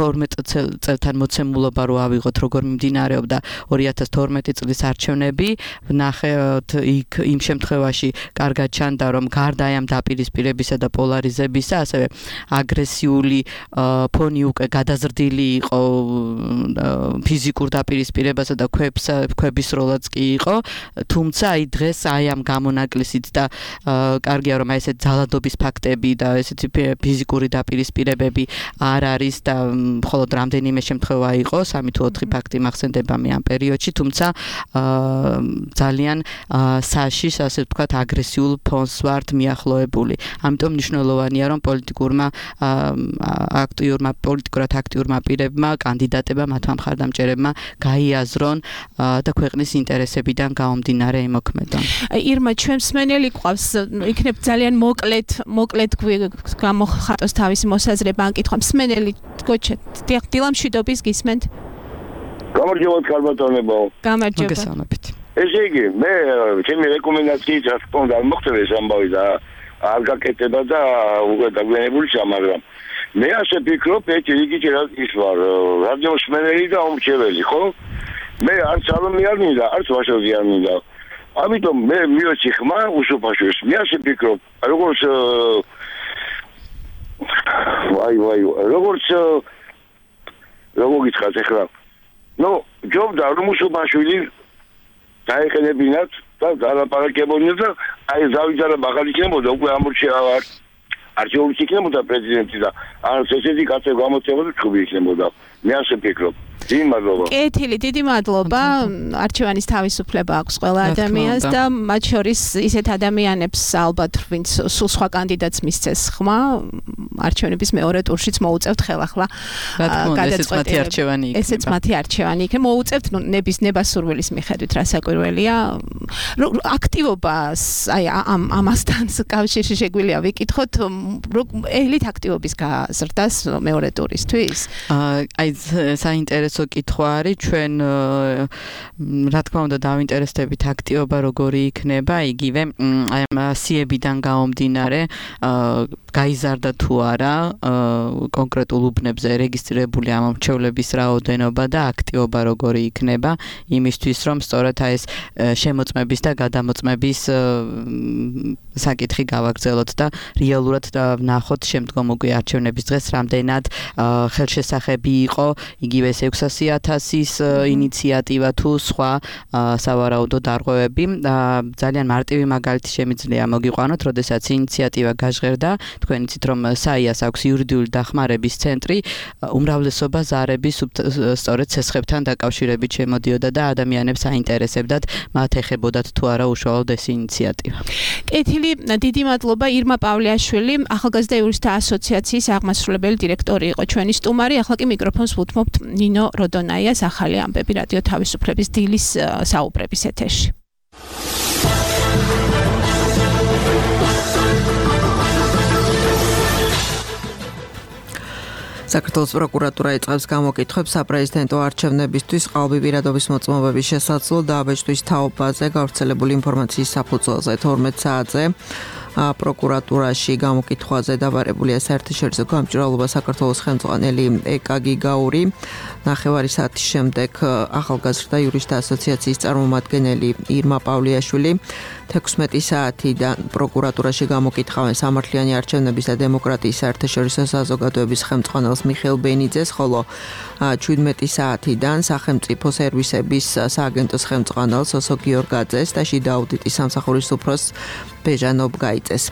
თორმეტ წელთან მოცემულობა რო ავიღოთ, როგორ მიმდინარეობდა ორი ათას თორმეტი წლის არჩევნები, ვნახეთ იქ იმ შემთხვევაში კარგად ჩანდა, რომ გარდა ამ დაპირისპირებისა და პოლარიზებისა, ასევე აგრესიული ფონი უკვე გადაზრდილი იყო ფიზიკურ დაპირისპირებასა და ქვებს ქვების როლაც კი იყო, თუმცა აი დღეს აი ამ გამონაკლისით და კარგია რომ აი ესეთ ძალადობის ფაქტები და ესეთი ფიზიკური დაპირისპირებები არ არის და მხოლოდ რამდენიმე შემთხვევა იყო, სამი თუ ოთხი ფაქტი მახსენდება მე ამ პერიოდში, თუმცა ძალიან საშიშ, ასე ვთქვათ, აგრესიულ ფონს ვართ მიახლოებული. ამიტომ მნიშვნელოვანია, რომ პოლიტიკურმა აქტიურმა პოლიტიკურად აქტიურმა პირებმა, კანდიდატებმა, მათმა მხარდამჭერებმა გაიაზრონ და ქვეყნის ინტერესებიდან გაომდინარე იმოქმედონ. ირმა, ჩვენ მსმენელი გვყავს, იქნებ ძალიან მოკლედ, მოკლედ გამოხატოს თავისი მოსაზრება ან კითხვა. მსმენელი გოჩეთ, დილამშვიდობის გისმენთ? გამარჯობათ, ქალბატონებო. გამარჯობა. მოგესალმებით. ესე იგი, მე ჩემი რეკომენდაციით რა თქმა უნდა მოხდება ეს ამბავი და არ გაკეთება და უკვე დაგვიანებულია, მაგრამ მე ასე ვფიქრობ, ერთი რიგით ის ვარ, რადიო მსმენელი და უმრჩეველი, ხო? მე არც ალომი არ მინდა, არც ვაშოვი არ მინდა. ამიტომ მე მივეცი ხმა უსუფაშოს. მე ასე ვფიქრობ, როგორც ვაი ვაი, როგორც როგორ გითხრათ ახლა? ნუ, ჯობდა რომ უსუფაშვილი დაეყენებინათ და დალაპარაკებოდნენ და აი ზავიძალა მაღალიქნებოდა უკვე ამორჩევა არჩეული იქნებოდა პრეზიდენტი და არც ესეთი კაცი გამოწევოდა ჩხუბი იქნებოდა. მე ასე ვფიქრობ. დიდი მადლობა. კეთილი, დიდი მადლობა. არჩევანის თავისუფლება აქვს ყველა ადამიანს და მათ შორის ისეთ ადამიანებს ალბათ ვინც სულ სხვა კანდიდატს მისცეს ხმა, არჩევნების მეორე ტურშიც მოუწევთ ხელახლა გადაწყვეტილება. ესეც მათი არჩევანი იქნება. მოუწევთ ნების ნებასურვილის მიხედვით რა საკვირველია. აქტივობას აი ამ ამასთან კავშირში შეგვიძლია ვიკითხოთ, ელით აქტივობის გაზრდას მეორე ტურისთვის. აი საინტერესო კითხვა არის, ჩვენ რა თქმა უნდა დავინტერესდებით აქტივობა როგორი იქნება, იგივე აი ამ სიებიდან გაომდინარე გაიზარდა თუ არა კონკრეტულ უბნებზე რეგისტრირებული ამომრჩევლების რაოდენობა და აქტივობა როგორი იქნება, იმისთვის რომ სწორედ აი ეს შემოწმების და გადამოწმების საკითხი გავაგრძელოთ და რეალურად ვნახოთ შემდგომ უკვე არჩევნების დღეს რამდენად ხელშესახები იყო იგივე ეს ექვსასი ათასის ინიციატივა თუ სხვა სავარაუდო დარღვევები. ძალიან მარტივი მაგალითი შემიძლია მოგიყვანოთ, როდესაც ინიციატივა გაჟღერდა, თქვენ იცით რომ საიას აქვს იურიდიული დახმარების ცენტრი, უმრავლესობა ზარების სწორედ ცესხებთან დაკავშირებით შემოდიოდა და ადამიანებს აინტერესებდათ, მათ ეხებოდათ თუ არა უშუალოდ ეს ინიციატივა. კეთილი, დიდი მადლობა. ირმა პავლეაშვილი, ახალგაზრდა იურისტთა ასოციაციის აღმასრულებელი დირექტორი იყო ჩვენი სტუმარი. ახლა კი მიკროფონს ვუთმობთ ნინო როდონაიას, ახალი ამბები რადიო თავისუფლების დილის საუბრების ეთერში. საქართველოს პროკურატურა იწყებს გამოკითხვებს საპრეზიდენტო არჩევნებისთვის ყალბი პირადობის მოწმობების შესაძლო დაბეჭდვის თაობაზე გავრცელებული ინფორმაციის საფუძველზე თორმეტ საათზე პროკურატურაში გამოკითხვაზე დაბარებულია საერთაშორისო გამჭვირვალობა საქართველოს ხელმძღვანელი ეკა გიგაური. ნახევარი საათის შემდეგ ახალგაზრდა იურისტთა ასოციაციის წარმომადგენელი ირმა პავლეაშვილი თექვსმეტი საათიდან პროკურატურაში გამოკითხავენ სამართლიანი არჩევნების და დემოკრატიის საერთაშორისო საზოგადოების ხელმძღვანელს მიხეილ ბენიძეს, ხოლო შვიდმეტი საათიდან სახელმწიფო სერვისების სააგენტოს ხელმძღვანელს ოსო გიორგაძეს და შიდა აუდიტის სამსახურის უფროსს ბეჟა ნობგაიძეს.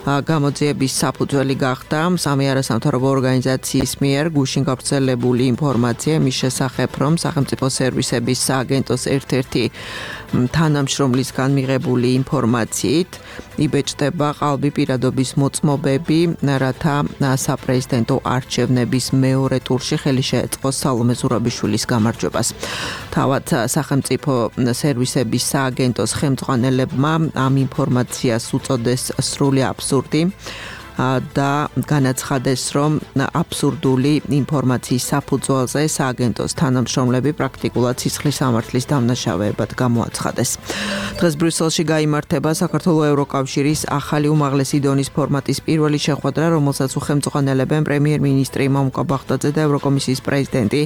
გამოძიების საფუძველი გახდა სამი არასამთავრობო ორგანიზაციის მიერ გუშინ გავრცელებული ინფორმაცია მის შესახებ, რომ სახელმწიფო სერვისების სააგენტოს ერთ-ერთი თანამშრომლისგან მიღებული ინფორმაციით იბეჭდება ყალბი პირადობის მოწმობები, რათა საპრეზიდენტო არჩევნების მეორე ტურში ხელი შეეწყოს სალომე ზურაბიშვილის გამარჯვებას. თავად სახელმწიფო სერვისების სააგენტოს ხელმძღვანელებმა ამ ინფორმაციას უწოდეს სრული აბსურდი და განაცხადეს, რომ აბსურდული ინფორმაციის საფუძველზე სააგენტოს თანამშრომლები პრაქტიკულად სისხლის სამართლის დამნაშავეებად გამოაცხადეს. დღეს ბრიუსელში გაიმართება საქართველოს ევროკავშირის ახალი უმაღლესი დონის ფორმატის პირველი შეხვედრა, რომელსაც უხელმძღვანელებენ პრემიერ-მინისტრი მამუკა ბაღდაძე და ევროკომისიის პრეზიდენტი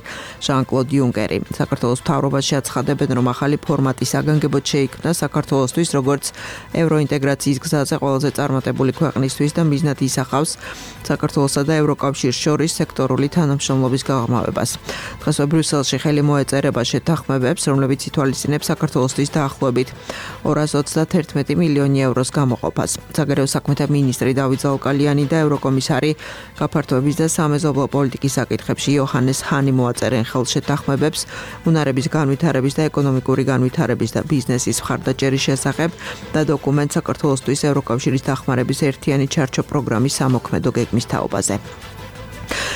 ჟან-კლოდ იუნკერი. საქართველოს მთავრობაში აცხადებენ, რომ ახალი ფორმატი საგანგებოდ შეიქმნა საქართველოსთვის, როგორც ევროინტეგრაციის გზაზე ყველაზე წარმატებული ქვეყნისთვის და მიზნად ისახავს საქართველოსა და ევროკავშირის შორის სექტორული თანამშრომლობის გაღრმავებას. დღესვე ბრიუსელში ხელი მოეწერება შეთანხმებებს, რომლებიც ითვალისწინებს საქართველოსთვის დაახლოებით ორას ოცდაათერთმეტი მილიონი ევროს გამოყოფას. საგარეო საქმეთა მინისტრი დავით ზაუკალიანი და ევროკომისარი გაფართოების და სამეზობლო პოლიტიკის საკითხებში იოჰანეს ჰანი მოაწერენ ხელს შეთანხმებებს უნარების განვითარების და ეკონომიკური განვითარების და ბიზნესის მხარდაჭერის შესახებ და დოკუმენტ საქართველოსთვის ევროკავშირის დახმარების ერთიანი ჩარჩო პროგრამის სამოქმედო გეგმის თაობაზე.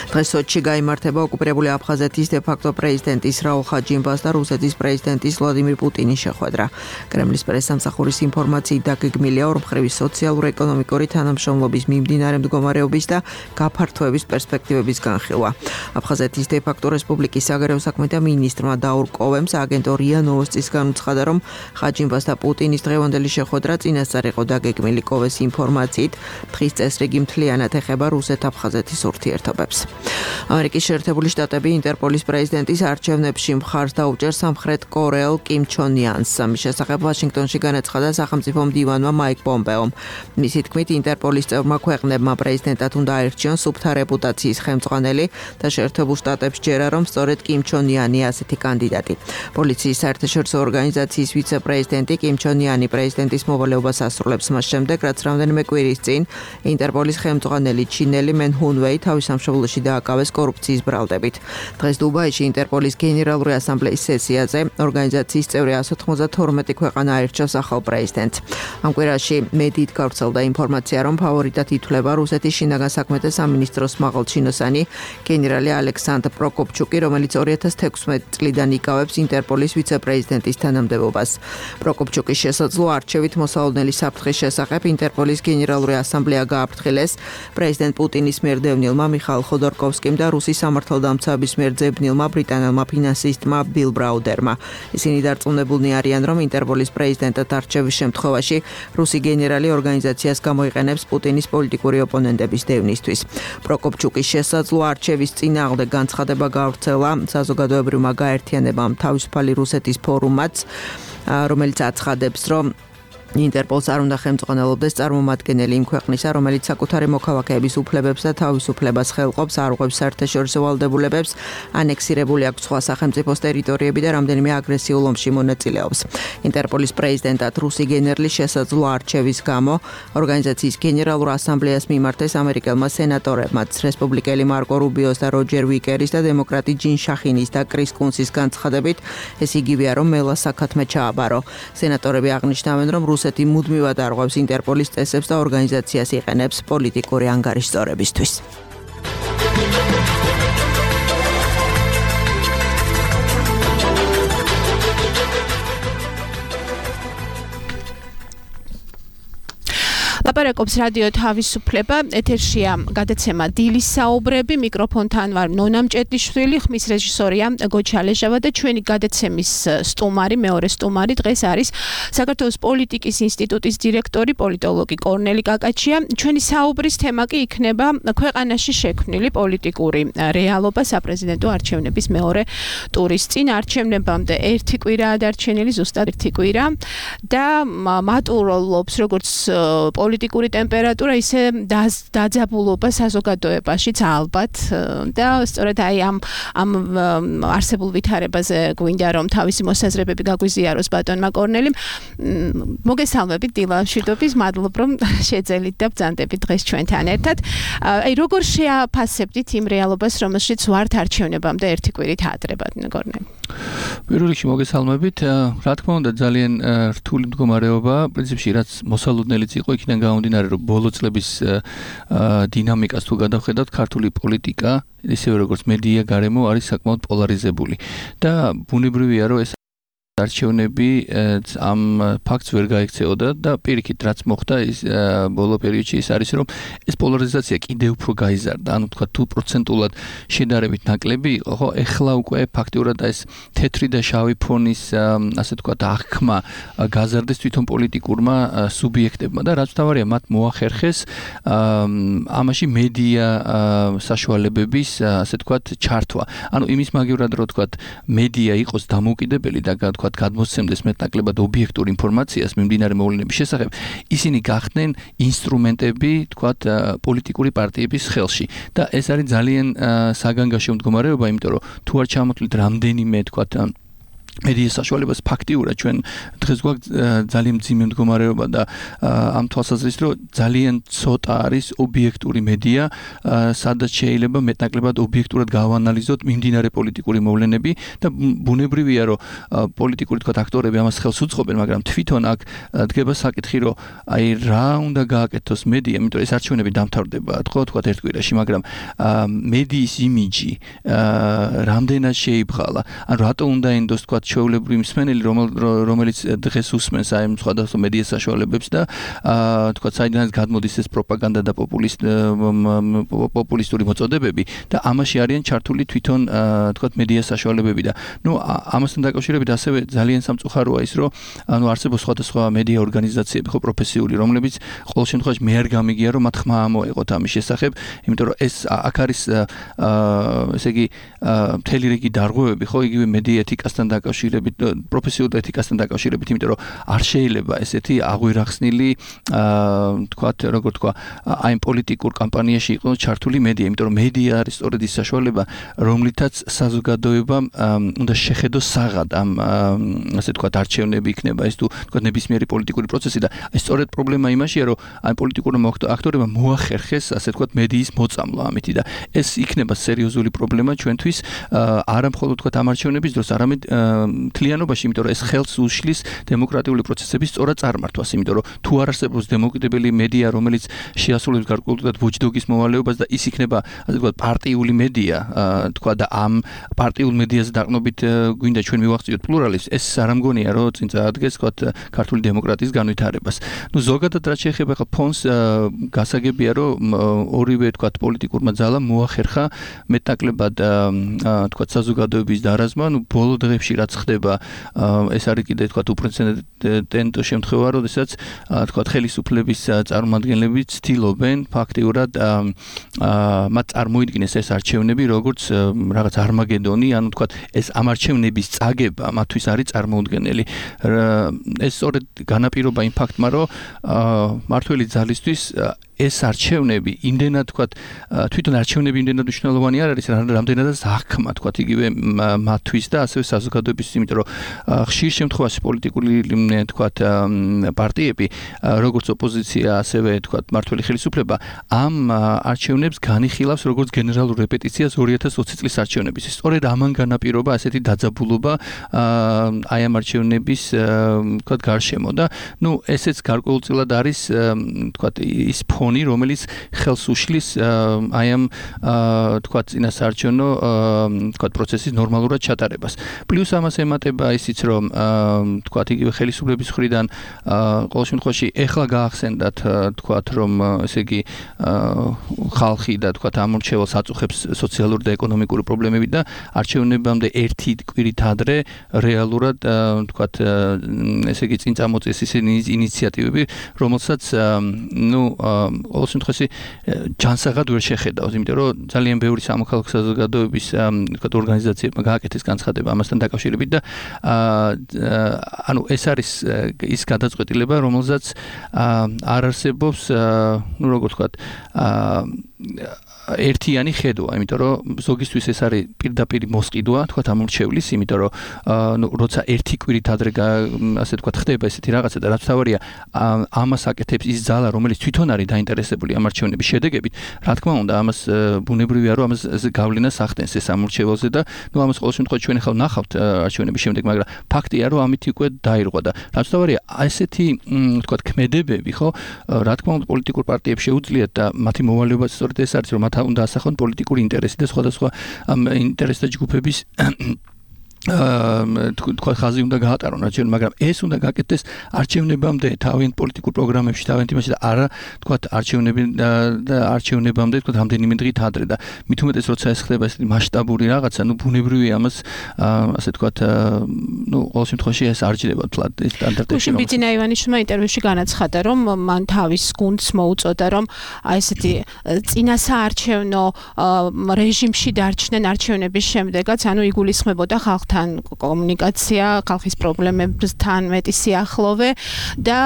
დღეს სოჩში გაიმართება ოკუპირებული აფხაზეთის დე-ფაქტო პრეზიდენტის რაულ ხაჯიმბას და რუსეთის პრეზიდენტის ვლადიმირ პუტინის შეხვედრა. კრემლის პრესსამსახურის ინფორმაციით დაგეგმილია ორმხრივი სოციალურ-ეკონომიკური თანამშრომლობის მიმდინარე მდგომარეობის და გაფართოების პერსპექტივების განხილვა. აფხაზეთის დე-ფაქტო რესპუბლიკის საგარეო საქმეთა მინისტრმა დაურ კოვემს აგენტო რია ნოვოსტის განუცხადა, რომ ხაჯიმბას და პუტინის დღევანდელი შეხვედრა წინასწარ იყო დაგეგმილი. კოვეს ინფორმაციით დღის წესრიგი მთლიანად ეხება რუსეთ-აფხაზეთის ურთიერთობებს. ამერიკის შეერთებული შტატები ინტერპოლის პრეზიდენტის არჩევნებში მხარს დაუჭერს სამხრეთ კორეელ კიმ ჩონ იანს. ამის შესახებ ვაშინგტონში განაცხადა სახელმწიფო მდივანმა მაიკ პომპეომ. მისი თქმით, ინტერპოლის წევრმა ქვეყნებმა პრეზიდენტად უნდა აირჩიონ სუფთა რეპუტაციის ხელმძღვანელი და შეერთებულ შტატებს ჯერა, რომ სწორედ კიმ ჩონ იანია ასეთი კანდიდატი. პოლიციის საერთაშორისო ორგანიზაციის ვიცე-პრეზიდენტი კიმ ჩონ იანი პრეზიდენტის მოვალეობას ასრულებს მას შემდეგ, რაც რამდენიმე კვირის წინ ინტერპოლის ხელმძღვანელი ჩინელი მენ ჰუნვეი თავის სამშობლოში დააკავეს კორუფციის ბრალდებით. დღეს დუბაიში ინტერპოლის გენერალური ასამბლეის სესიაზე ორგანიზაციის წევრი εκατს ოცდათორმეტი ქვეყანა აირჩევს ახალ პრეზიდენტს. ამ კვირაში მედიით გავრცელდა ინფორმაცია, რომ ფავორიტად ითვლება რუსეთის შინაგან საქმეთა სამინისტროს მაღალჩინოსანი გენერალი ალექსანდრ პროკოპჩუკი, რომელიც ორი ათას თექვსმეტი წლიდან იკავებს ინტერპოლის ვიცე-პრეზიდენტის თანამდებობას. პროკოპჩუკის შესაძლო არჩევით მოსალოდნელი საფრთხის შესახებ ინტერპოლის გენერალური ასამბლეა გააფრთხილეს პრეზიდენტ პუტინის მიერ დევნილმა მიხაილ ხოდორკოვსკიმ და რუსის სამართალდამცავების მიერ ძებნილმა ბრიტანელმა ფინანსისტმა ბილ ბრაუდერმა. ისინი დარწმუნებულნი არიან, რომ ინტერპოლის პრეზიდენტად არჩევის შემთხვევაში რუსი გენერალი ორგანიზაციას გამოიყენებს პუტინის პოლიტიკური ოპონენტების დევნისთვის. პროკოპჩუკის შესაძლო არჩევის წინააღმდეგ განცხადება გავრცელა საზოგადოებრივმა გაერთიანებამ თავისუფალი რუსეთის ფორუმაც, რომელიც აცხადებს, რომ ინტერპოლს არ უნდა ხელმძღვანელობდეს წარმომადგენელი იმ ქვეყნისა, რომელიც საკუთარი მოქალაქეების უფლებებს და თავისუფლებას ხელყოფს, არ უღებს საერთაშორისო ვალდებულებებს, ანექსირებული აქვს სხვა სახელმწიფოს ტერიტორიები და რამდენიმე აგრესიულ ომში მონაწილეობს. ინტერპოლის პრეზიდენტად რუსი გენერლის შესაძლო არჩევის გამო ორგანიზაციის გენერალურ ასამბლეას მიმართეს ამერიკელმა სენატორებმაც, რესპუბლიკელი მარკო რუბიოს და როჯერ ვიკერის და დემოკრატი ჯინ შახინის და კრის კუნსის განცხადებით, ეს იგივეა, რომ მელა საქათმე ჩააბარო. სენატორები აღნიშნავენ, რომ რუსეთი მუდმივად არღვევს ინტერპოლის წესებს და ორგანიზაციას იყენებს პოლიტიკური ანგარიშწორებისთვის. ლაპარაკობს რადიო თავისუფლება, ეთერშია გადაცემა დილის საუბრები, მიკროფონთან ვარ ნონა მჭედლიშვილი, ხმის რეჟისორია გოჩა ლეჟავა და ჩვენი გადაცემის სტუმარი, მეორე სტუმარი დღეს არის საქართველოს პოლიტიკის ინსტიტუტის დირექტორი, პოლიტოლოგი კორნელი კაკაჩია. ჩვენი საუბრის თემა კი იქნება ქვეყანაში შექმნილი პოლიტიკური რეალობა საპრეზიდენტო არჩევნების მეორე ტურის წინ. არჩევნებამდე ერთი კვირაა დარჩენილი, ზუსტად ერთი კვირა და მატულობს როგორც პოლიტიკური ტემპერატურა, ისე დაძაბულობა საზოგადოებაშიც ალბათ და სწორედ აი ამ ამ არსებულ ვითარებაზე გვინდა რომ თავისი მოსაზრებები გაგვიზიაროს ბატონმა კორნელიმ. მოგესალმებით დილა მშვიდობის, მადლობ რომ შეძელით და ბრძანდებით დღეს ჩვენთან ერთად. აი როგორ შეაფასებდით იმ რეალობას, რომელშიც ვართ არჩევნებამდე ერთი კვირით ადრე, ბატონო კორნელი? პირველ რიგში მოგესალმებით. რა თქმა უნდა ძალიან რთული მდგომარეობა, პრინციპში რაც მოსალოდნელიც იყო, იქიდან გამომდინარე, რომ ბოლო წლების დინამიკას თუ გადავხედავთ, ქართული პოლიტიკა, ისევე როგორც მედია გარემო არის საკმაოდ პოლარიზებული და ბუნებრივია, რომ ეს არჩევნები ამ ფაქტს ვერ გაიქცეოდა და პირიქით რაც მოხდა ის ბოლო პერიოდში ის არის რომ ეს პოლარიზაცია კიდევ უფრო გაიზარდა. ანუ თქვა თუ პროცენტულად შედარებით ნაკლები იყო, ხო, ეხლა უკვე ფაქტიურად ეს თეთრი და შავი ფონის ასე თქვა აღქმა გაზარდეს თვითონ პოლიტიკურმა სუბიექტებმა და რაც თავარია მათ მოახერხეს ამაში მედია საშუალებების ასე თქვა ჩართვა. ანუ იმის მაგივრად რომ თქვა მედია იყოს დამოუკიდებელი და თქვა თქვა გადმოსცემდეს მეტნაკლებად ობიექტურ ინფორმაციას მიმდინარე მოვლენების შესახებ, ისინი გახდნენ ინსტრუმენტები, თქვა პოლიტიკური პარტიების ხელში და ეს არის ძალიან საგანგაშო მდგომარეობა, იმიტომ რომ თუ არ ჩამოთვლით რამდენიმე თქვა მედიის საშუალებას ფაქტიურად ჩვენ დღეს გვაქვს ძალიან მძიმე მდგომარეობა და ამ თვალსაზრისით რომ ძალიან ცოტა არის ობიექტური მედია, სადაც შეიძლება მეტნაკლებად ობიექტურად გავანალიზოთ მიმდინარე პოლიტიკური მოვლენები და ბუნებრივია რომ პოლიტიკური თქვა აქტორები ამას ხელს უწყობენ, მაგრამ თვითონ აქ დგება საკითხი რომ აი რა უნდა გააკეთოს მედია, იმიტომ რომ ეს არჩევნები დამთავრდება ხო თქვა ერთ კვირაში, მაგრამ მედიის იმიჯი რამდენად შეიბღალა, ან რატო უნდა ენდოს თქვა ჩვეულებრივი მსმენელი, რომელიც დღეს უსმენს აი სხვადასხვა მედია საშუალებებს და თქვა საიდანაც გადმოდის ეს პროპაგანდა და პოპულისტური მოწოდებები და ამაში არიან ჩართული თვითონ თქვა მედია საშუალებები და ნუ ამასთან დაკავშირებით ასევე ძალიან სამწუხაროა ის რომ ანუ არსებობს სხვადასხვა მედია ორგანიზაციები ხო პროფესიული, რომლებიც ყოველ შემთხვევაში მე არ გამიგია რომ მათ ხმა ამოეყოთ ამის შესახებ, იმიტომ რომ ეს აქ არის ესე იგი მთელი რიგი დარღვევები ხო იგივე მედია ეთიკასთან დაკავშირებით პროფესიულ ეთიკასთან დაკავშირებით, იმიტომ რომ არ შეიძლება ესეთი აღვირახსნილი თქვათ როგორ თქვა აი პოლიტიკურ კამპანიაში იყოს ჩართული მედია, იმიტომ რომ მედია არის სწორედ ის საშუალება, რომლითაც საზოგადოებამ უნდა შეხედოს საღად ამ ასე თქვათ არჩევნები იქნება ეს თუ თქვათ ნებისმიერი პოლიტიკური პროცესი და ეს სწორედ პრობლემა იმაშია, რომ აი პოლიტიკურმა აქტორებმა მოახერხეს ასე თქვათ მედიის მოწამლა ამითი და ეს იქნება სერიოზული პრობლემა ჩვენთვის არა მხოლოდ თქვათ ამ არჩევნების დროს, არამედ მთლიანობაში, იმიტომ რომ ეს ხელს უშლის დემოკრატიული პროცესების სწორად წარმართვას, იმიტომ რომ თუ არ არსებობს დემოკრატიული მედია, რომელიც შეასრულებს გარკვეულად ვოჩდოგის მოვალეობას და ის იქნება, ასე ვთქვათ, პარტიული მედია, თქვა და ამ პარტიულ მედიაზე დაყრდნობით გვინდა ჩვენ მივახციოთ პლურალიზმს, ეს არ ამგონია, რომ წინ წაადგეს, ვთქვათ, ქართული დემოკრატიის განვითარებას. ნუ ზოგადად რაც შეეხება ხა ფონს, გასაგებია, რომ ორივე, ვთქვათ, პოლიტიკურმა ძალამ მოახერხა მეტნაკლებად, ვთქვათ, საზოგადოების დარაზმა, ნუ ბოლო დღეებში რაც ხდება, ეს არის კიდე თქვათ უპრეცედენტო შემთხვევა, როდესაც თქვათ ხელისუფლების წარმომადგენლები ცდილობენ ფაქტიურად მათ წარმოიდგინეს ეს არჩევნები როგორც რაღაც არმაგედონი, ანუ თქვათ ეს ამ არჩევნების წაგება მათთვის არის წარმოუდგენელი. ეს სწორედ განაპირობა იმ ფაქტმა, რომ მართველი ძალისთვის ეს არჩევნები იმდენად თქვათ თვითონ არჩევნები იმდენად მნიშვნელოვანი არ არის, რამდენადაც აღქმა თქვათ იგივე მათთვის და ასევე საზოგადოების, იმიტომ რომ ხშირ შემთხვევაში პოლიტიკური თქვათ პარტიები, როგორც ოპოზიცია, ასევე თქვათ მართველი ხელისუფლება ამ არჩევნებს განიხილავს როგორც გენერალურ რეპეტიციას ორი ათას ოცი წლის არჩევნების. სწორედ ამან განაპირობა ასეთი დაძაბულობა აი ამ არჩევნების თქვათ გარშემო და ნუ ესეც გარკვეულწილად არის თქვათ ის რომელიც ხელს უშლის აი ამ თქვათ წინასაარჩევნო თქვათ პროცესის ნორმალურად ჩატარებას. პლუს ამას ემატება ისიც რომ თქვათ იგივე ხელისუფლების მხრიდან ყოველ შემთხვევაში ეხლა გაახსენდათ თქვათ რომ ესე იგი ხალხი და თქვათ ამორჩევალს აწუხებს სოციალური და ეკონომიკური პრობლემები და არჩევნებამდე ერთი კვირით ადრე რეალურად თქვათ ესე იგი წინ წამოწეს ისინი ინიციატივები, რომელსაც ნუ ყოველ შემთხვევაში ჯანსაღად ვერ შეხედავს, იმიტომ რომ ძალიან ბევრი სამოქალაქო საზოგადოების თქვათ ორგანიზაციებმა გააკეთეს განცხადება ამასთან დაკავშირებით და ანუ ეს არის ის გადაწყვეტილება, რომელსაც არ არსებობს ნუ როგორ თქვათ ერთიანი ხედვა, იმიტომ რომ ზოგისთვის ეს არის პირდაპირ მოსყიდვა, თქვათ ამორჩევლის, იმიტომ რომ ნუ როცა ერთი კვირით ადრე ასე თქვათ ხდება ესეთი რაღაცა და რაც თავარია ამას აკეთებს ის ძალა, რომელიც თვითონ არის დაინტერესებული ამ არჩევნების შედეგებით, რა თქმა უნდა, ამას ბუნებრივია, რომ ამას გავლენას ახდენს ეს ამორჩეველზე და ნუ ამას ყოველ შემთხვევაში ჩვენ ახლა ვნახავთ არჩევნების შემდეგ, მაგრამ ფაქტია, რომ ამით უკვე დაირღვა და რაც თავარია ესეთი თქვათ ქმედებები, ხო, რა თქმა უნდა, პოლიტიკურ პარტიებს შეუძლიათ და მათი მოვალეობა სწორედ ეს არის, რომ მათ უნდა ასახონ პოლიტიკური ინტერესი და სხვადასხვა ამ ინტერესთა ჯგუფების თქვა ხაზი უნდა გაატარონ არჩევნები, მაგრამ ეს უნდა გაკეთდეს არჩევნებამდე თავიანთ პოლიტიკურ პროგრამებში, თავიანთ იმაში და არა თქვა არჩევნები და არჩევნებამდე თქვა რამდენიმე დღით ადრე და მით უმეტეს როცა ეს ხდება ესეთი მასშტაბური რაღაცა, ნუ ბუნებრივია ამას ასე თქვა ნუ ყოველ შემთხვევაში ეს არ ჯდება თლად ეს სტანდარტებში. გუშინ ბიძინა ივანიშვილმა ინტერვიუში განაცხადა, რომ მან თავის გუნდს მოუწოდა, რომ აი ესეთი წინასაარჩევნო რეჟიმში დარჩნენ არჩევნების შემდეგაც, ანუ იგულისხმებოდა ხალხთან ხალხთან კომუნიკაცია, ხალხის პრობლემებთან მეტი სიახლოვე და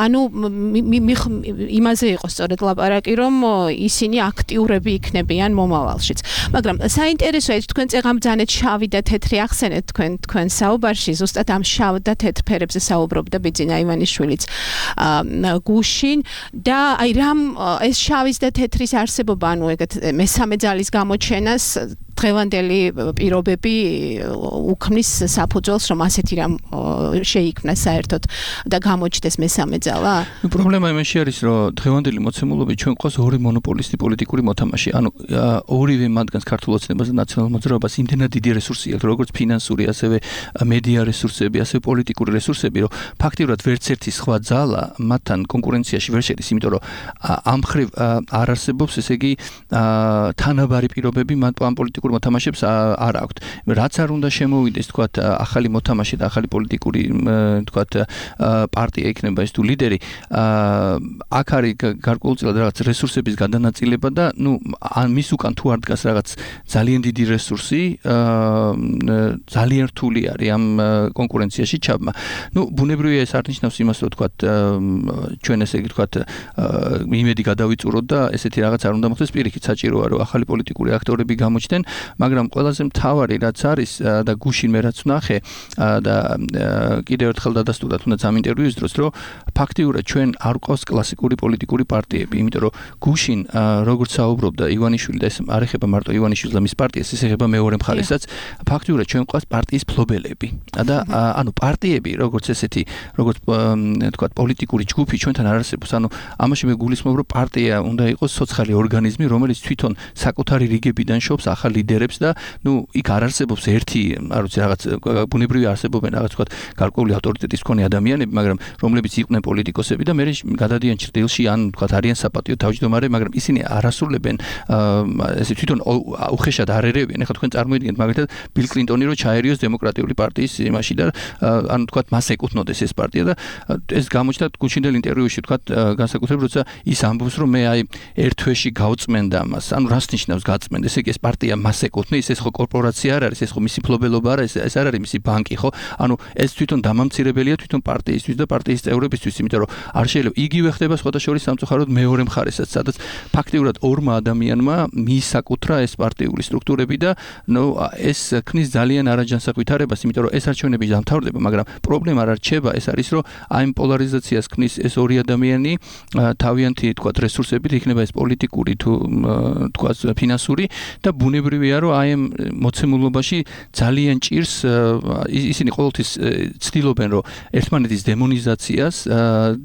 ანუ იმაზე იყო სწორედ ლაპარაკი, რომ ისინი აქტიურები იქნებიან მომავალშიც. მაგრამ საინტერესოა, თქვენ წეღამ ბრძანეთ შავი და თეთრი ახსენეთ თქვენ თქვენ საუბარში, ზუსტად ამ შავ და თეთრ ფერებზე საუბრობდა ბიძინა ივანიშვილიც გუშინ და აი რამ ეს შავის და თეთრის არსებობა, ანუ ეგეთ მესამე ძალის გამოჩენას დღევანდელი პირობები უქმნის საფუძველს, რომ ასეთი რამ შეიქმნა საერთოდ და გამოჩნდეს მესამე ძალა? ნუ პრობლემა იმაში არის, რომ დღევანდელი მოცემულობით ჩვენ ყავს ორი მონოპოლისტი პოლიტიკური მოთამაშე. ანუ ორივე მათგანს ქართულ ოცნებას და ნაციონალურ მოძრაობას იმდენად დიდი რესურსი აქვს, როგორც ფინანსური, ასევე მედია რესურსები, ასევე პოლიტიკური რესურსები, რომ ფაქტიურად ვერც ერთი სხვა ძალა მათთან კონკურენციაში ვერ შედის, იმიტომ რომ ამ ხრივ არ არსებობს, ესე იგი, თანაბარი პირობები მათ ამ პოლიტიკურ მოთამაშებს არ აქვთ. რაც არ უნდა შემოვიდეს, თქვათ, ახალი მოთამაშე და ახალი პოლიტიკური, თქვათ, პარტია იქნება ეს თუ ლიდერი, აქ არის გარკვეულწილად რაღაც რესურსების გადანაწილება და, ნუ, მის უკან თუ არ დგას რაღაც ძალიან დიდი რესურსი, ძალიან რთული არის ამ კონკურენციაში ჩაბმა. ნუ, ბუნებრივია ეს არ ნიშნავს იმას, რომ თქვათ, ჩვენ ესე იგი თქვათ, იმედი გადავიწუროთ და ესეთი რაღაც არ უნდა მოხდეს, პირიქით საჭიროა, რომ ახალი პოლიტიკური აქტორები გამოჩნდნენ, მაგრამ ყველაზე მთავარი რაც არის და გუშინ მე რაც ვნახე და კიდევ ერთხელ დადასტურდა თუნდაც ამ ინტერვიუის დროს, რომ ფაქტიურად ჩვენ არ ყავს კლასიკური პოლიტიკური პარტიები, იმიტომ რომ გუშინ როგორც საუბრობდა ივანიშვილი და ეს არ ეხება მარტო ივანიშვილს და მის პარტიას, ეს ეხება მეორე მხარესაც, ფაქტიურად ჩვენ ყავს პარტიის ფლობელები. და ანუ პარტიები, როგორც ესეთი, როგორც თქვა პოლიტიკური ჯგუფი ჩვენთან არ არსებობს. ანუ ამაში მე გულისხმობ, რომ პარტია უნდა იყოს სოციალური ორგანიზმი, რომელიც თვითონ საკუთარი რიგებიდან შობს ახალ ლიდერებს და ნუ იქ არ არსებობს ერთი, არ ვიცი, რაღაც ბუნებრივი არსებობენ რაღაც თქვა გარკვეული ავტორიტეტის მქონე ადამიანები, მაგრამ რომლებიც იყვნენ პოლიტიკოსები და მე გადადიან ჭრდილში ან თქვა არიან საპატიო თავმჯდომარე, მაგრამ ისინი არ ასრულებენ ესე თვითონ უხეშად არ ერევიან. ეხლა თქვენ წარმოიდგინეთ მაგალითად ბილ კლინტონი რო ჩაერიოს დემოკრატიული პარტიის იმაში და ანუ თქვა მას ეკუთვნოდეს ეს პარტია და ეს გამოჩნდა გუშინდელ ინტერვიუში თქვა განსაკუთრებით როცა ის ამბობს რომ მე აი ერთ თვეში გავწმენდა მას. ანუ რას ნიშნავს გაწმენდა? ესე იგი ეს პარტია მას ეკუთვნის, ეს ხო კორპორაცია არ არის, ეს ხო მისი ფლობელობა არ არის, ეს არ არის მისი ბანკი, ხო? ანუ ეს თვითონ დამამცირებელია თვითონ პარტიისთვის და პარტიის წევრებისთვის, იმიტომ რომ არ შეიძლება იგივე ხდება სხვათა შორის სამწუხაროდ მეორე მხარესაც, სადაც ფაქტიურად ორმა ადამიანმა მიისაკუთრა ეს პარტიული სტრუქტურები და ნუ ეს ქმნის ძალიან არაჯანსაღ ვითარებას, იმიტომ რომ ეს არჩევნები დამთავრდება, მაგრამ პრობლემა არ რჩება, ეს არის რომ აი პოლარიზაციას ქმნის ეს ორი ადამიანი თავიანთი თქვა რესურსებით, იქნება ეს პოლიტიკური თუ თქვა ფინანსური და ბუნებრივია რომ აი ამ მოცემულობაში ძალიან ჭირს ისინი ყოველთვის ცდილობენ რომ ერთმანეთის დემონიზაციას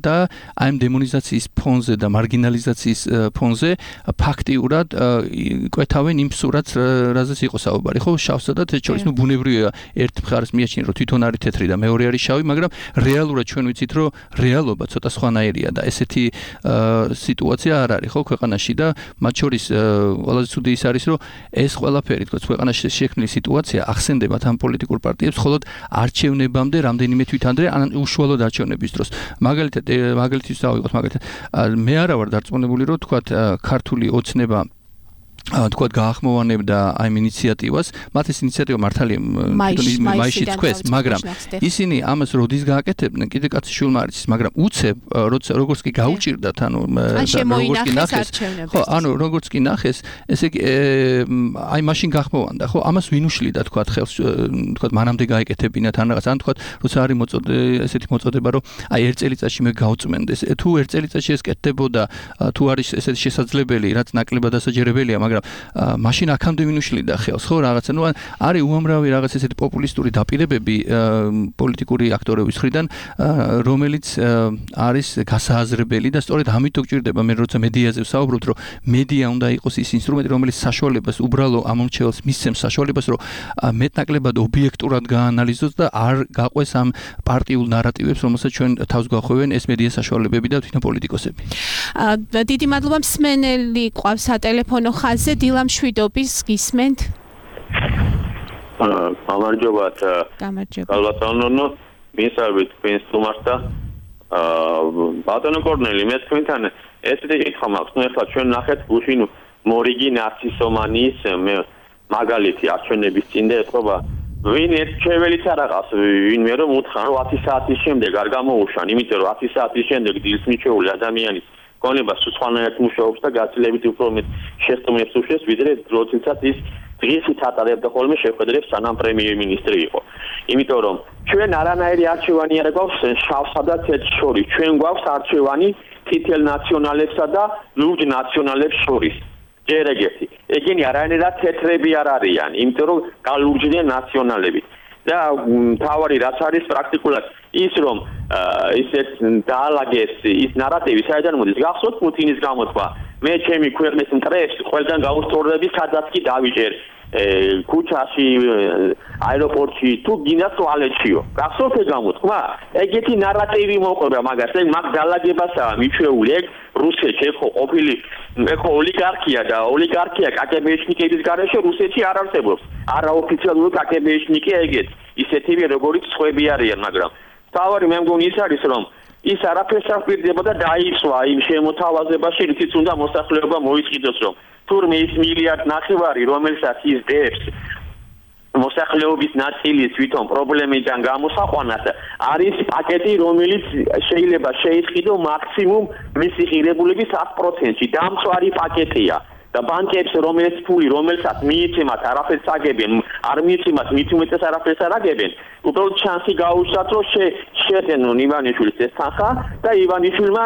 და აი ამ დემონიზაციის ფონზე და მარგინალიზაციის ფონზე ფაქტიურად კვეთავენ იმ სურათს რაზეც იყო საუბარი, ხო, შავსა და თეთრ შორის. ნუ ბუნებრივია ერთ მხარეს მიაჩნია რომ თვითონ არის თეთრი და მეორე არის შავი, მაგრამ რეალურად ჩვენ ვიცით რომ რეალობა ცოტა სხვანაირია და ესეთი სიტუაცია არ არის ხო ქვეყანაში და მათ შორის ყველაზე ცუდი ის არის რომ ეს ყველაფერი თქო ქვეყანაში შექმნილი სიტუაცია ახსენდებათ ამ პოლიტიკურ პარტიებს მხოლოდ არჩევნებამდე რამდენიმე თვით ადრე ან უშუალოდ არჩევნების დროს. მაგალითად მაგალითის დავიღოთ მაგალითად მე არა ვარ დარწმუნებული რომ თქვა ქართული ოცნება თქვათ გაახმოვანებდა აი ინიციატივას, მათ ეს ინიციატივა მართალია მაისში თქვეს, მაგრამ ისინი ამას როდის გააკეთებდნენ, კიდე კაცი შულმა არის, მაგრამ უცებ როცა როგორც კი გაუჭირდათ, ანუ როგორც კი ნახეს, ხო, ანუ როგორც კი ნახეს, ესე იგი აი მაშინ გაახმოვანდა, ხო, ამას ვინ უშლიდა თქვათ ხელს, თქვათ მანამდე გაეკეთებინათ ან რაღაც, ან თქვათ როცა არის მოწოდე ესეთი მოწოდება, რომ აი ერთ წელიწადში მე გავწმენდეს, თუ ერთ წელიწადში ეს კეთდებოდა, თუ არის ესეთი შესაძლებელი, რაც ნაკლებად დასაჯერებელია, მაგრამ მაშინ აქამდე მინუშლიდა ხელს, ხო, რაღაცა, ნუ არის უამრავი რაღაც ესეთი პოპულისტური დაპირებები პოლიტიკური აქტორების მხრიდან, რომელიც არის გასააზრებელი და სწორედ ამიტომ გჭირდება მე როცა მედიაზე ვსაუბრობთ, რომ მედია უნდა იყოს ის ინსტრუმენტი, რომელიც საშუალებას უბრალო ამომრჩეველს მისცემს საშუალებას, რომ მეტნაკლებად ობიექტურად გაანალიზოს და არ გაყვეს ამ პარტიულ ნარატივებს, რომელსაც ჩვენ თავს გვახვევენ ეს მედია საშუალებები და თვითონ პოლიტიკოსები. დიდი მადლობა, მსმენელი ყავს სატელეფონო ხაზზე. დილამ შვიდობის გისმენთ? გამარჯობათ. გამარჯობა. გალბატონო, მისავით თქვენს სტუმარს და ბატონო კორნელი, მე თქვენთან ესეთი კითხვა მაქვს. ნუ ახლა ჩვენ ნახეთ გუშინ მორიგი ნაცისომანიის მაგალითი არჩევნების წინ და ეთყობა ვინ ერთჩეველიც არ აღავს ვინმე რომ უთხრა რომ ათი საათის შემდეგ არ გამოუშვან, იმიტომ რომ ათი საათის შემდეგ დილს მიჩეული ადამიანის გონება სხვანაირად მუშაობს და გაცილებით უფრო მეტ შეცდომებს უშვებს, ვიდრე როდესაც ის დღისით ატარებდა ხოლმე შეხვედრებს სანამ პრემიერ-მინისტრი იყო. იმიტომ რომ ჩვენ არანაირი არჩევანი არ გვაქვს შავსა და თეთრ შორის. ჩვენ გვაქვს არჩევანი თითელ ნაციონალებსა და ლურჯ ნაციონალებს შორის. ჯერ ეგეთი. ეგენი არანაირად თეთრები არ არიან, იმიტომ რომ გალურჯდნენ ნაციონალები. და თავარი რაც არის პრაქტიკულად ის რომ ისეთ დაალაგეს ის ნარატივი საერთოდ მოდის გახსოვთ პუტინის გამოთქვა მე ჩემი ქვეყნის მტრებს ყველგან გაუსწორდები სადაც კი დავიჭერ ქუჩაში აეროპორტში თუ გინდა ტუალეტშიო გახსოვთ ეს გამოთქვა ეგეთი ნარატივი მოყვება მაგას ეგ მაგ დაალაგებასაა მიჩვეული ეგ რუსეთში ეხო ყოფილი ეხო ოლიგარქია და ოლიგარქია კაგებეშნიკების გარეშე რუსეთში არ არსებობს არაოფიციალური კაგებეშნიკი ეგეთ ისეთივე როგორც სხვები არიან მაგრამ თავარი მე მგონი ის არის რომ ის არაფერს არ პირდება და დაიცვა იმ შემოთავაზებაში რითიც უნდა მოსახლეობა მოიწყიდოს რომ თურმე ის მილიარდ ნახევარი რომელსაც ის დებს მოსახლეობის ნაწილის თვითონ პრობლემიდან გამოსაყვანად არის პაკეტი რომელიც შეიძლება შეისყიდო მაქსიმუმ მისი ღირებულების ათი პროცენტი დამწვარი პაკეტია და ბანკებს რომელიც ფული რომელსაც მიიცემათ არაფერს აგებენ არ მიიცემათ მით უმეტეს არაფერს არ აგებენ უბრალოდ ჩანსი გაუშვათ რომ შეეძენონ ივანიშვილის ეს თანხა და ივანიშვილმა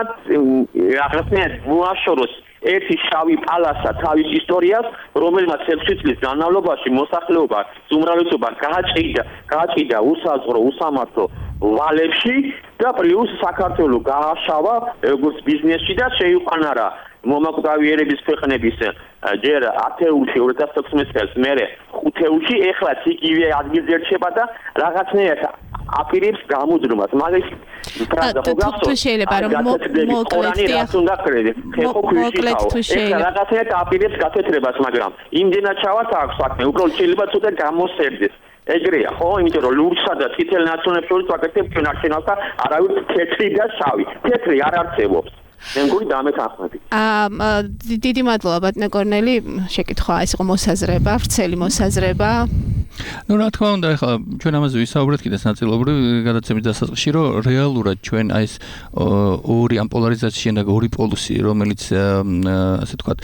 რაღაცნაირად მოაშოროს ერთი შავი პალასა თავის ისტორიას რომელმაც ექვსი წლის განმავლობაში მოსახლეობა უმრავლესობა გააჭიდა გააჭიდა უსაზღვრო უსამართლო ვალებში და პლუს საქართველო გააშავა როგორც ბიზნესში და შეიყვანა რა მომაკვდავი ერების ქვეყნების ჯერ ათეულში ორი ათას თექვსმეტ წელს მერე ხუთეულში ეხლა იგივე ადგილზე რჩება და რაღაცნაირად აპირებს გამუდრომას მაგის ფრაზა ხო გახსოვთ შეიძლება რომ მოკლედ თუ შეიძლება რაღაცნაირად აპირებს გათეთრებას მაგრამ იმდენად ჩავართ აქვს საქმე უბრალოდ შეიძლება ცოტა გამოსერდეს ეგრეა ხო იმიტომ რომ ლურჯსა და წითელ ნაციონალებს შორის ვაკეთებ ჩვენ არჩევნებს და არავის თეთრი და შავი თეთრი არ არსებობს მე მგონი დამეთანხმები. აა დიდი მადლობა ბატონო კორნელი, შეკითხვა ეს იყო მოსაზრება, ვრცელი მოსაზრება. ნუ რა თქმა უნდა, ეხლა ჩვენ ამაზე ვისაუბრეთ კიდეც ნაწილობრივ გადაცემის დასაწყისში, რომ რეალურად ჩვენ აი ეს ორი ამ პოლარიზაციის და ორი პოლუსი, რომელიც ასე ვთქვათ,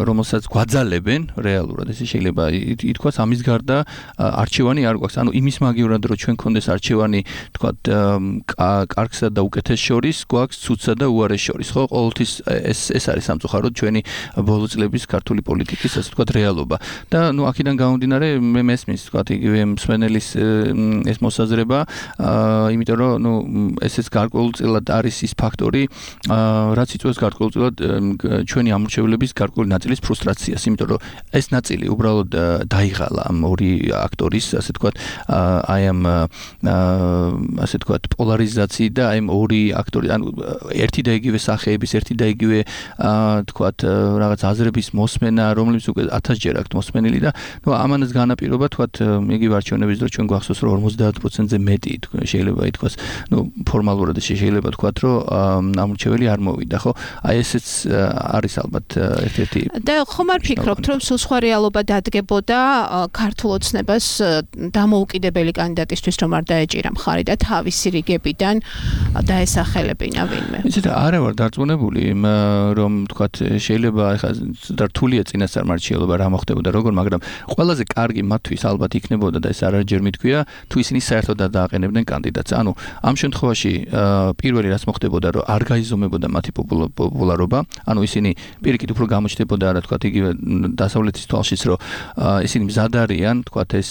რომელსაც გვაძალებენ რეალურად, ესე შეიძლება ითქვას ამის გარდა არჩევანი არ გვაქვს. ანუ იმის მაგივრად რომ ჩვენ გქონდეს არჩევანი, ვთქვათ, კარგსა და უკეთეს შორის, გვაქვს ცუდსა და უარეს შორის. ხო, ყოველთვის ეს ეს არის სამწუხაროდ ჩვენი ბოლო წლების ქართული პოლიტიკის ასე ვთქვათ რეალობა. და ნუ აქედან გამომდინარე მე მესმის ვთქვათ იგივე მსმენელის ეს მოსაზრება, იმიტომ რომ ნუ ესეც გარკვეულწილად არის ის ფაქტორი, რაც იწვევს გარკვეულწილად ჩვენი ამორჩევლების გარკვეული ნაწილის ფრუსტრაციას, იმიტომ რომ ეს ნაწილი უბრალოდ დაიღალა ამ ორი აქტორის ასე ვთქვათ აი ამ ასე ვთქვათ პოლარიზაციით და აი ამ ორი აქტორი ანუ ერთი და იგივე სახეების ერთი და იგივე თქვათ რაღაც აზრების მოსმენა, რომლებიც უკვე ათასჯერ აქვთ მოსმენილი და ნუ ამანაც განაპირობა თქვათ იგივე არჩევნების დროს ჩვენ გვახსოვს რომ ორმოცდაათ პროცენტზე მეტი შეიძლება ითქვას, ნუ ფორმალურად შეიძლება თქვათ რომ ამორჩეველი არ მოვიდა, ხო? აი ესეც არის ალბათ ერთ-ერთი და ხომ არ ფიქრობთ რომ სულ სხვა რეალობა დადგებოდა ქართულ ოცნებას დამოუკიდებელი კანდიდატისთვის რომ არ დაეჭირა მხარი და თავისი რიგებიდან დაესახელებინა ვინმე. ისეთ არა ვარ დარწმუნებული რომ თქვათ შეიძლება ეხლა და რთულია წინასწარმარჩიელობა რა მოხდებოდა როგორ, მაგრამ ყველაზე კარგი მათთვის ალბათ იქნებოდა და ეს არაჯერ მითქვია თუ ისინი საერთოდ დააყენებდნენ კანდიდატს. ანუ ამ შემთხვევაში პირველი რაც მოხდებოდა რომ არ გაიზომებოდა მათი პოპულარობა, ანუ ისინი პირიქით უფრო გამოჩნდებოდა რა თქვათ იგივე დასავლეთის თვალშიც რომ ისინი მზად არიან თქვათ ეს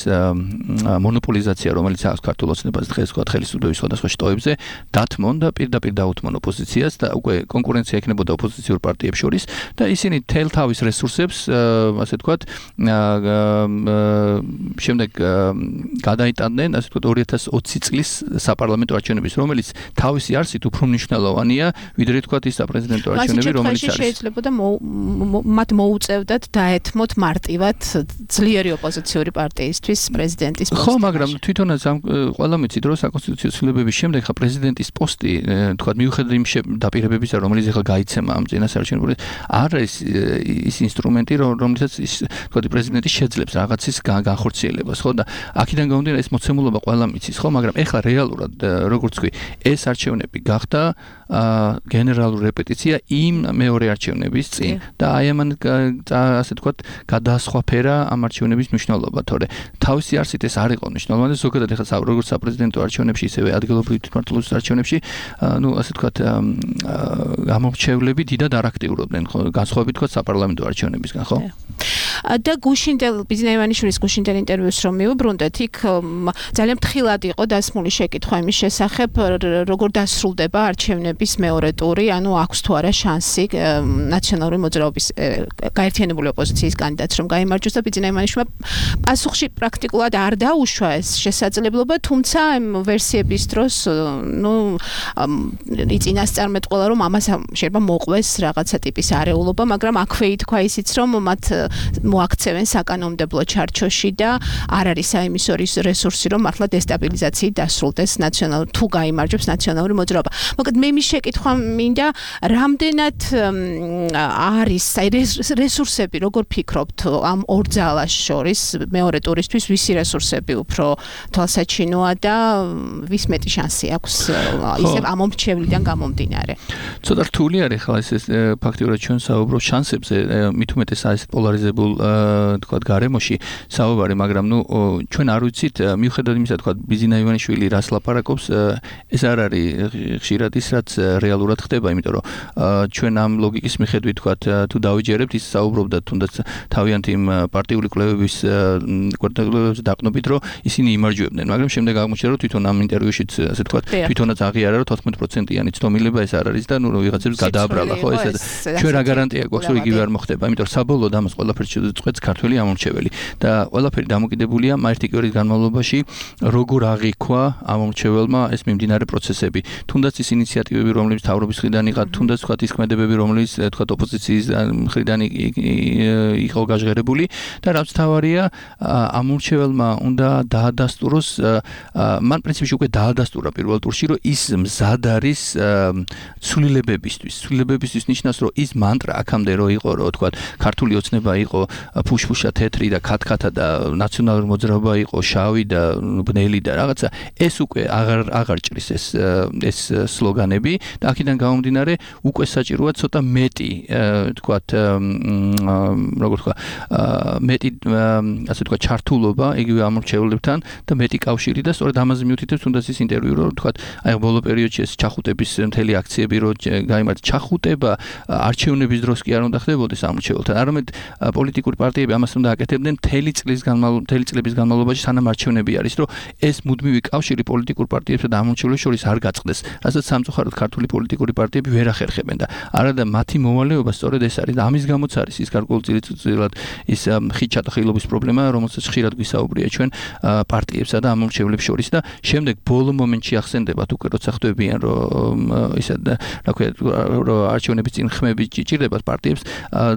მონოპოლიზაცია რომელიც აქვს ქართულ ოცნებას დღეს თქვათ ხელისუფლების სხვადასხვა შტოებზე დათმონ და პირდაპირ დაუთმონ ოპოზიციას და უკვე კონკურენცია ექნებოდა ოპოზიციურ პარტიებს შორის და ისინი თელ თავის რესურსებს ასე ვთქვათ შემდეგ გადაიტანდნენ ასე ვთქვათ ორი ათას ოცი წლის საპარლამენტო არჩევნების რომელიც თავისი არსით უფრო მნიშვნელოვანია ვიდრე ვთქვათ ის საპრეზიდენტო არჩევნები რომელიც არის შეიძლება და მათ მოუწევდათ დაეთმოთ მარტივად ძლიერი ოპოზიციური პარტიისთვის პრეზიდენტის პოსტი. ხო, მაგრამ თვითონაც ამ ყველა მიცით რომ საკონსტიტუციო ცვლილებების შემდეგ ხა პრეზიდენტის პოსტი თქვათ მიუხედავად იმ დაპირებებისა რომელიც ახლა გაიცემა ამ წინასაარჩევნო არ არის ის ინსტრუმენტი რომელსაც ის თქვათ პრეზიდენტი შეძლებს რაღაცის განხორციელებას განხორციელებას, ხო და აქედან გამომდინარე ეს მოცემულობა ყველა მიცის, ხო, მაგრამ ეხლა რეალურად როგორც ვთქვი, ეს არჩევნები გახდა გენერალური რეპეტიცია იმ მეორე არჩევნების წინ და აი ამან ასე ვთქვათ გადაასხვაფერა ამ არჩევნების მნიშვნელობა, თორე თავისი არსით ეს არ იყო მნიშვნელოვანი, ზოგადად ეხლა როგორც საპრეზიდენტო არჩევნებში, ისევე ადგილობრივი თვითმმართველობის არჩევნებში, ну, ასე ვთქვათ, გამორჩევლები დიდად არ აქტიურობდნენ, ხო, განსხვავებით თქვა საპარლამენტო არჩევნებისგან, ხო? და გუშინდელ ბიზნა ივანიშვილის გუშინდელ ინტერვიუს რომ მივუბრუნდეთ, იქ ძალიან ფრთხილად იყო დასმული შეკითხვა იმის შესახებ, როგორ დასრულდება არჩევნების მეორე ტური, ანუ აქვს თუ არა შანსი ნაციონალური მოძრაობის გაერთიანებული ოპოზიციის კანდიდატს რომ გაიმარჯვოს და ბიზნა ივანიშვილმა პასუხში პრაქტიკულად არ დაუშვა ეს შესაძლებლობა, თუმცა ამ ვერსიების დროს, ну, იწინასწარმეტყველა რომ ამას შეიძლება მოყვეს რაღაცა ტიპის არეულობა, მაგრამ აქვე ითქვა ისიც რომ მათ მოაქცევენ საკანონმდებლო ჩარჩოში და არ არის საიმისო რესურსი რომ მართლა დესტაბილიზაციით დასრულდეს ნაციონალური თუ გაიმარჯვებს ნაციონალური მოძრაობა. მოკლედ მე მის შეკითხვა მინდა რამდენად არის რესურსები, როგორ ფიქრობთ ამ ორ ძალას შორის მეორე ტურისთვის ვისი რესურსები უფრო თვალსაჩინოა და ვის მეტი შანსი აქვს ისევ ამ მომრჩევლიდან გამომდინარე. ცოტა რთული არის ხა ეს ფაქტიურად ჩვენ საუბრობთ შანსებზე, მით უმეტეს ეს პოლარიზებულ თქვათ გარემოში საუბარი, მაგრამ ნუ ჩვენ არ ვიცით მიუხედავად იმისა, თქვათ ბიზნა ივანიშვილი რას ლაპარაკობს, ეს არ არის ხშირად ის რაც რეალურად ხდება, იმიტომ რომ ჩვენ ამ ლოგიკის მიხედვით თქვათ თუ დავიჯერებთ ის საუბრობდა თუნდაც თავიანთი იმ პარტიული კვლევების კვლევების დაყნობით, რომ ისინი იმარჯვებდნენ, მაგრამ შემდეგ აღმოჩნდა რომ თვითონ ამ ინტერვიუშიც ასე თქვათ თვითონაც აღიარა რომ თოთხმეტ პროცენტიანი ცნობილება ეს არ არის და ნუ ვიღაცებს გადააბრალა, ხო, ეს ჩვენ რა გარანტია გვაქვს რომ იგივე არ მოხდება, იმიტომ რომ საბოლოოდ ამას ყველაფერს შეწყვეტს ქართველი ამომრჩეველი და ყველაფერი დამოკიდებულია ერთი კი ორის განმავლობაში როგორ აღიქვა ამომრჩეველმა ეს მიმდინარე პროცესები, თუნდაც ის ინიციატივები რომლებიც თავრობის მხრიდან იყო, თუნდაც თქვათ ის ქმედებები რომლებიც თქვათ ოპოზიციის მხრიდან იყო გაჟღერებული და რაც თავარია ამომრჩეველმა უნდა დაადასტუროს, მან პრინციპში უკვე დაადასტურა პირველ ტურში, რომ ის მზად არის ცვლილებებისთვის. ცვლილებებისთვის ნიშნავს, რომ ის მანტრა აქამდე რო იყო, რომ თქვათ ქართული ოცნება იყო ფუშფუშა თეთრი და ქათქათა და ნაციონალური მოძრაობა იყო შავი და ბნელი და რაღაცა, ეს უკვე აღარ აღარ ჭრის ეს ეს სლოგანები და აქედან გამომდინარე უკვე საჭიროა ცოტა მეტი თქვათ როგორ თქვა მეტი ასე თქვა ჩართულობა იგივე ამორჩევლებთან და მეტი კავშირი და სწორედ ამაზე მიუთითებს თუნდაც ის ინტერვიუ რომ თქვათ აი ბოლო პერიოდში ეს ჩახუტების მთელი აქციები რო გაიმართა, ჩახუტება არჩევნების დროს კი არ უნდა ხდებოდეს ამორჩეველთან, არამედ პოლიტიკური პარტიები ამას უნდა აკეთებდნენ მთელი წლის განმავლობაში, მთელი წლების განმავლობაში სანამ არჩევნები არის, რომ ეს მუდმივი კავშირი პოლიტიკურ პარტიებსა და ამორჩევლებს შორის არ გაწყდეს, რასაც სამწუხაროდ ქართული პოლიტიკური პარტიები ვერ ახერხებენ და არადა მათი მოვალეობა სწორედ ეს არის და ამის გამოც არის ის გარკვეულწილად ის ხიჩატახილობის პრობლემა, რომელსაც ხშირად გვისაუბრია ჩვენ პარტიებსა და ამორჩევლებს შორის და შემდეგ ბოლო მომენტში ახსენდებათ უკვე როცა ხდებიან რომ ისე რა ქვია რომ არჩევნების წინ ხმები ჭირდებათ პარტიებს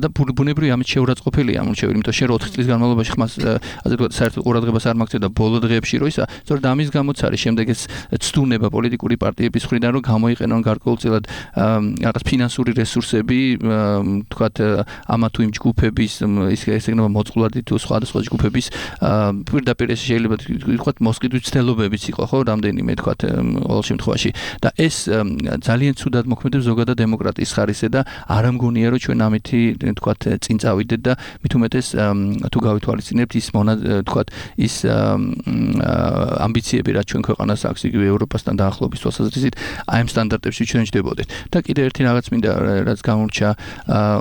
და ბუნებრივი ამით შეურაცხყოფილია ამორჩეველი, იმიტომ შენ ოთხ წლის განმავლობაში ხმას ასე ვთქვათ საერთოდ ყურადღებას არ მაგცევ და ბოლო დღეებში რო ისა, სწორედ ამის გამოც არის შემდეგ ეს ცდუნება პოლიტიკური პარტიების მხრიდან რომ გამოიყენონ გარკვეულწილად რაღაც ფინანსური რესურსები, ვთქვათ ამა თუ იმ ჯგუფების ის ეგნება მოწყვლადი თუ სხვადასხვა ჯგუფების პირდაპირ ეს შეიძლება ვთქვათ მოსყიდვის ცდელობებიც იყო, ხო, რამდენიმე ვთქვათ ყოველ შემთხვევაში და ეს ძალიან ცუდად მოქმედებს ზოგადად დემოკრატიის ხარისზე და არ ამგონია რომ ჩვენ ამითი ვთქვათ წინ წავიდეთ და მით უმეტეს თუ გავითვალისწინებთ ის მონა ვთქვათ ის ამბიციები რაც ჩვენ ქვეყანას აქვს იგივე ევროპასთან დაახლოების თვალსაზრისით აი ამ სტანდარტებში ჩვენ ჯდებოდეთ და კიდე ერთი რაღაც მინდა რაც გამორჩა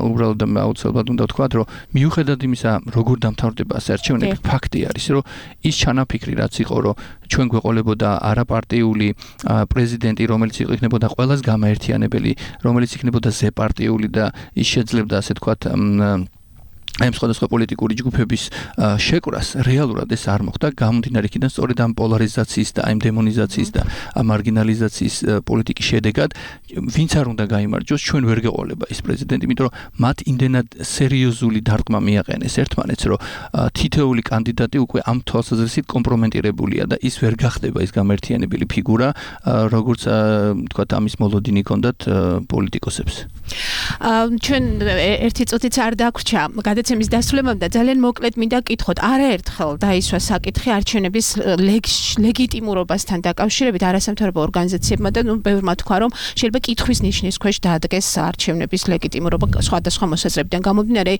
უბრალოდ აუცილებლად უნდა ვთქვათ რომ მიუხედავად იმისა როგორ დამთავრდება ეს არჩევნები, ფაქტი არის რომ ის ჩანაფიქრი რაც იყო რომ ჩვენ გვეყოლებოდა არაპარტიული პრეზიდენტი, რომელიც იქნებოდა ყველას გამაერთიანებელი, რომელიც იქნებოდა ზეპარტიული და ის შეძლებდა ასე ვთქვათ ამ სხვადასხვა პოლიტიკური ჯგუფების შეკვრას, რეალურად ეს არ მოხდა, გამომდინარე იქიდან სწორედ ამ პოლარიზაციის და ამ დემონიზაციის და ამ მარგინალიზაციის პოლიტიკის შედეგად ვინც არ უნდა გაიმარჯვოს, ჩვენ ვერ გეყოლება ის პრეზიდენტი, იმიტომ რომ მათ იმდენად სერიოზული დარტყმა მიაყენეს ერთმანეთს, რომ თითოეული კანდიდატი უკვე ამ თვალსაზრისით კომპრომენტირებულია და ის ვერ გახდება ის გამერთიანებელი ფიგურა, როგორც ვთქვათ ამის მოლოდინი ჰქონდათ პოლიტიკოსებს. ჩვენ ერთი წუთიც არ დაგვრჩა, გადაცემა გადაცემის დასრულებამდე ძალიან მოკლედ მინდა გკითხოთ, არაერთხელ დაისვა საკითხი არჩევნების ლეგიტიმურობასთან დაკავშირებით არასამთავრობო ორგანიზაციებმა და ნუ ბევრმა თქვა, რომ შეიძლება კითხვის ნიშნის ქვეშ დაადგეს არჩევნების ლეგიტიმურობა სხვადასხვა მოსაზრებიდან გამომდინარე,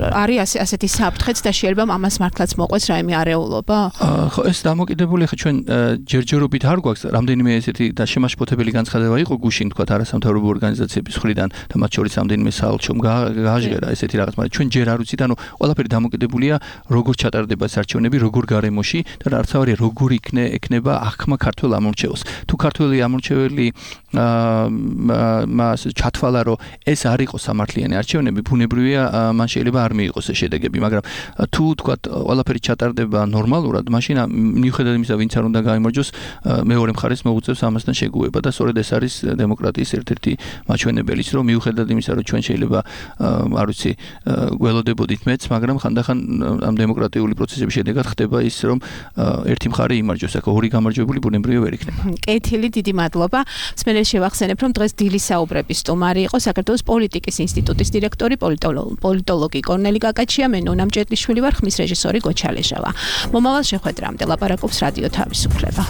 არის ასეთი საფრთხეც და შეიძლება ამას მართლაც მოყვეს რაიმე არეულობა? ხო, ეს დამოკიდებული ხა ჩვენ ჯერჯერობით არ გვაქვს რამდენიმე ესეთი და შემაშფოთებელი განცხადება იყო გუშინ თქვა არასამთავრობო ორგანიზაციების მხრიდან და მათ შორის რამდენიმე საალჩომ გააჟღერა ესეთი რაღაც, მაგრამ ჩვენ ჯერ არ ვიცით, ანუ ყველაფერი დამოკიდებულია როგორ ჩატარდება ეს არჩევნები, როგორ გარემოში და რაც არის როგორ იქნება ექნება აღქმა ქართველ ამორჩეულს. თუ ქართველი ამორჩეველი მას ჩათვალა, რომ ეს არ იყო სამართლიანი არჩევნები, ბუნებრივია მან შეიძლება არ მიიღოს ეს შედეგები, მაგრამ თუ თქვა ყველაფერი ჩატარდება ნორმალურად, მაშინ მიუხედავად იმისა, ვინც არ უნდა გაიმარჯვოს, მეორე მხარეს მოუწევს ამასთან შეგუება და სწორედ ეს არის დემოკრატიის ერთ-ერთი მაჩვენებელიც, რომ მიუხედავად იმისა, რომ ჩვენ შეიძლება არ ვიცი, გველოდებოდით მეც, მაგრამ ხანდახან ამ დემოკრატიული პროცესების შედეგად ხდება ის, რომ ერთი მხარე იმარჯვებს, აქ ორი გამარჯვებული ბუნებრივია ვერ იქნება. კეთილი, დიდი მადლობა. მსმენელს შევახსენებ, რომ დღეს დილის საუბრების სტუმარი იყო საქართველოს პოლიტიკის ინსტიტუტის დირექტორი, პოლიტოლოგი კორნელი კაკაჩია, მე ნონა მჭედლიშვილი ვარ, ხმის რეჟისორი გოჩა ლეჟავა. მომავალ შეხვედრამდე ლაპარაკობს რადიო თავისუფლება.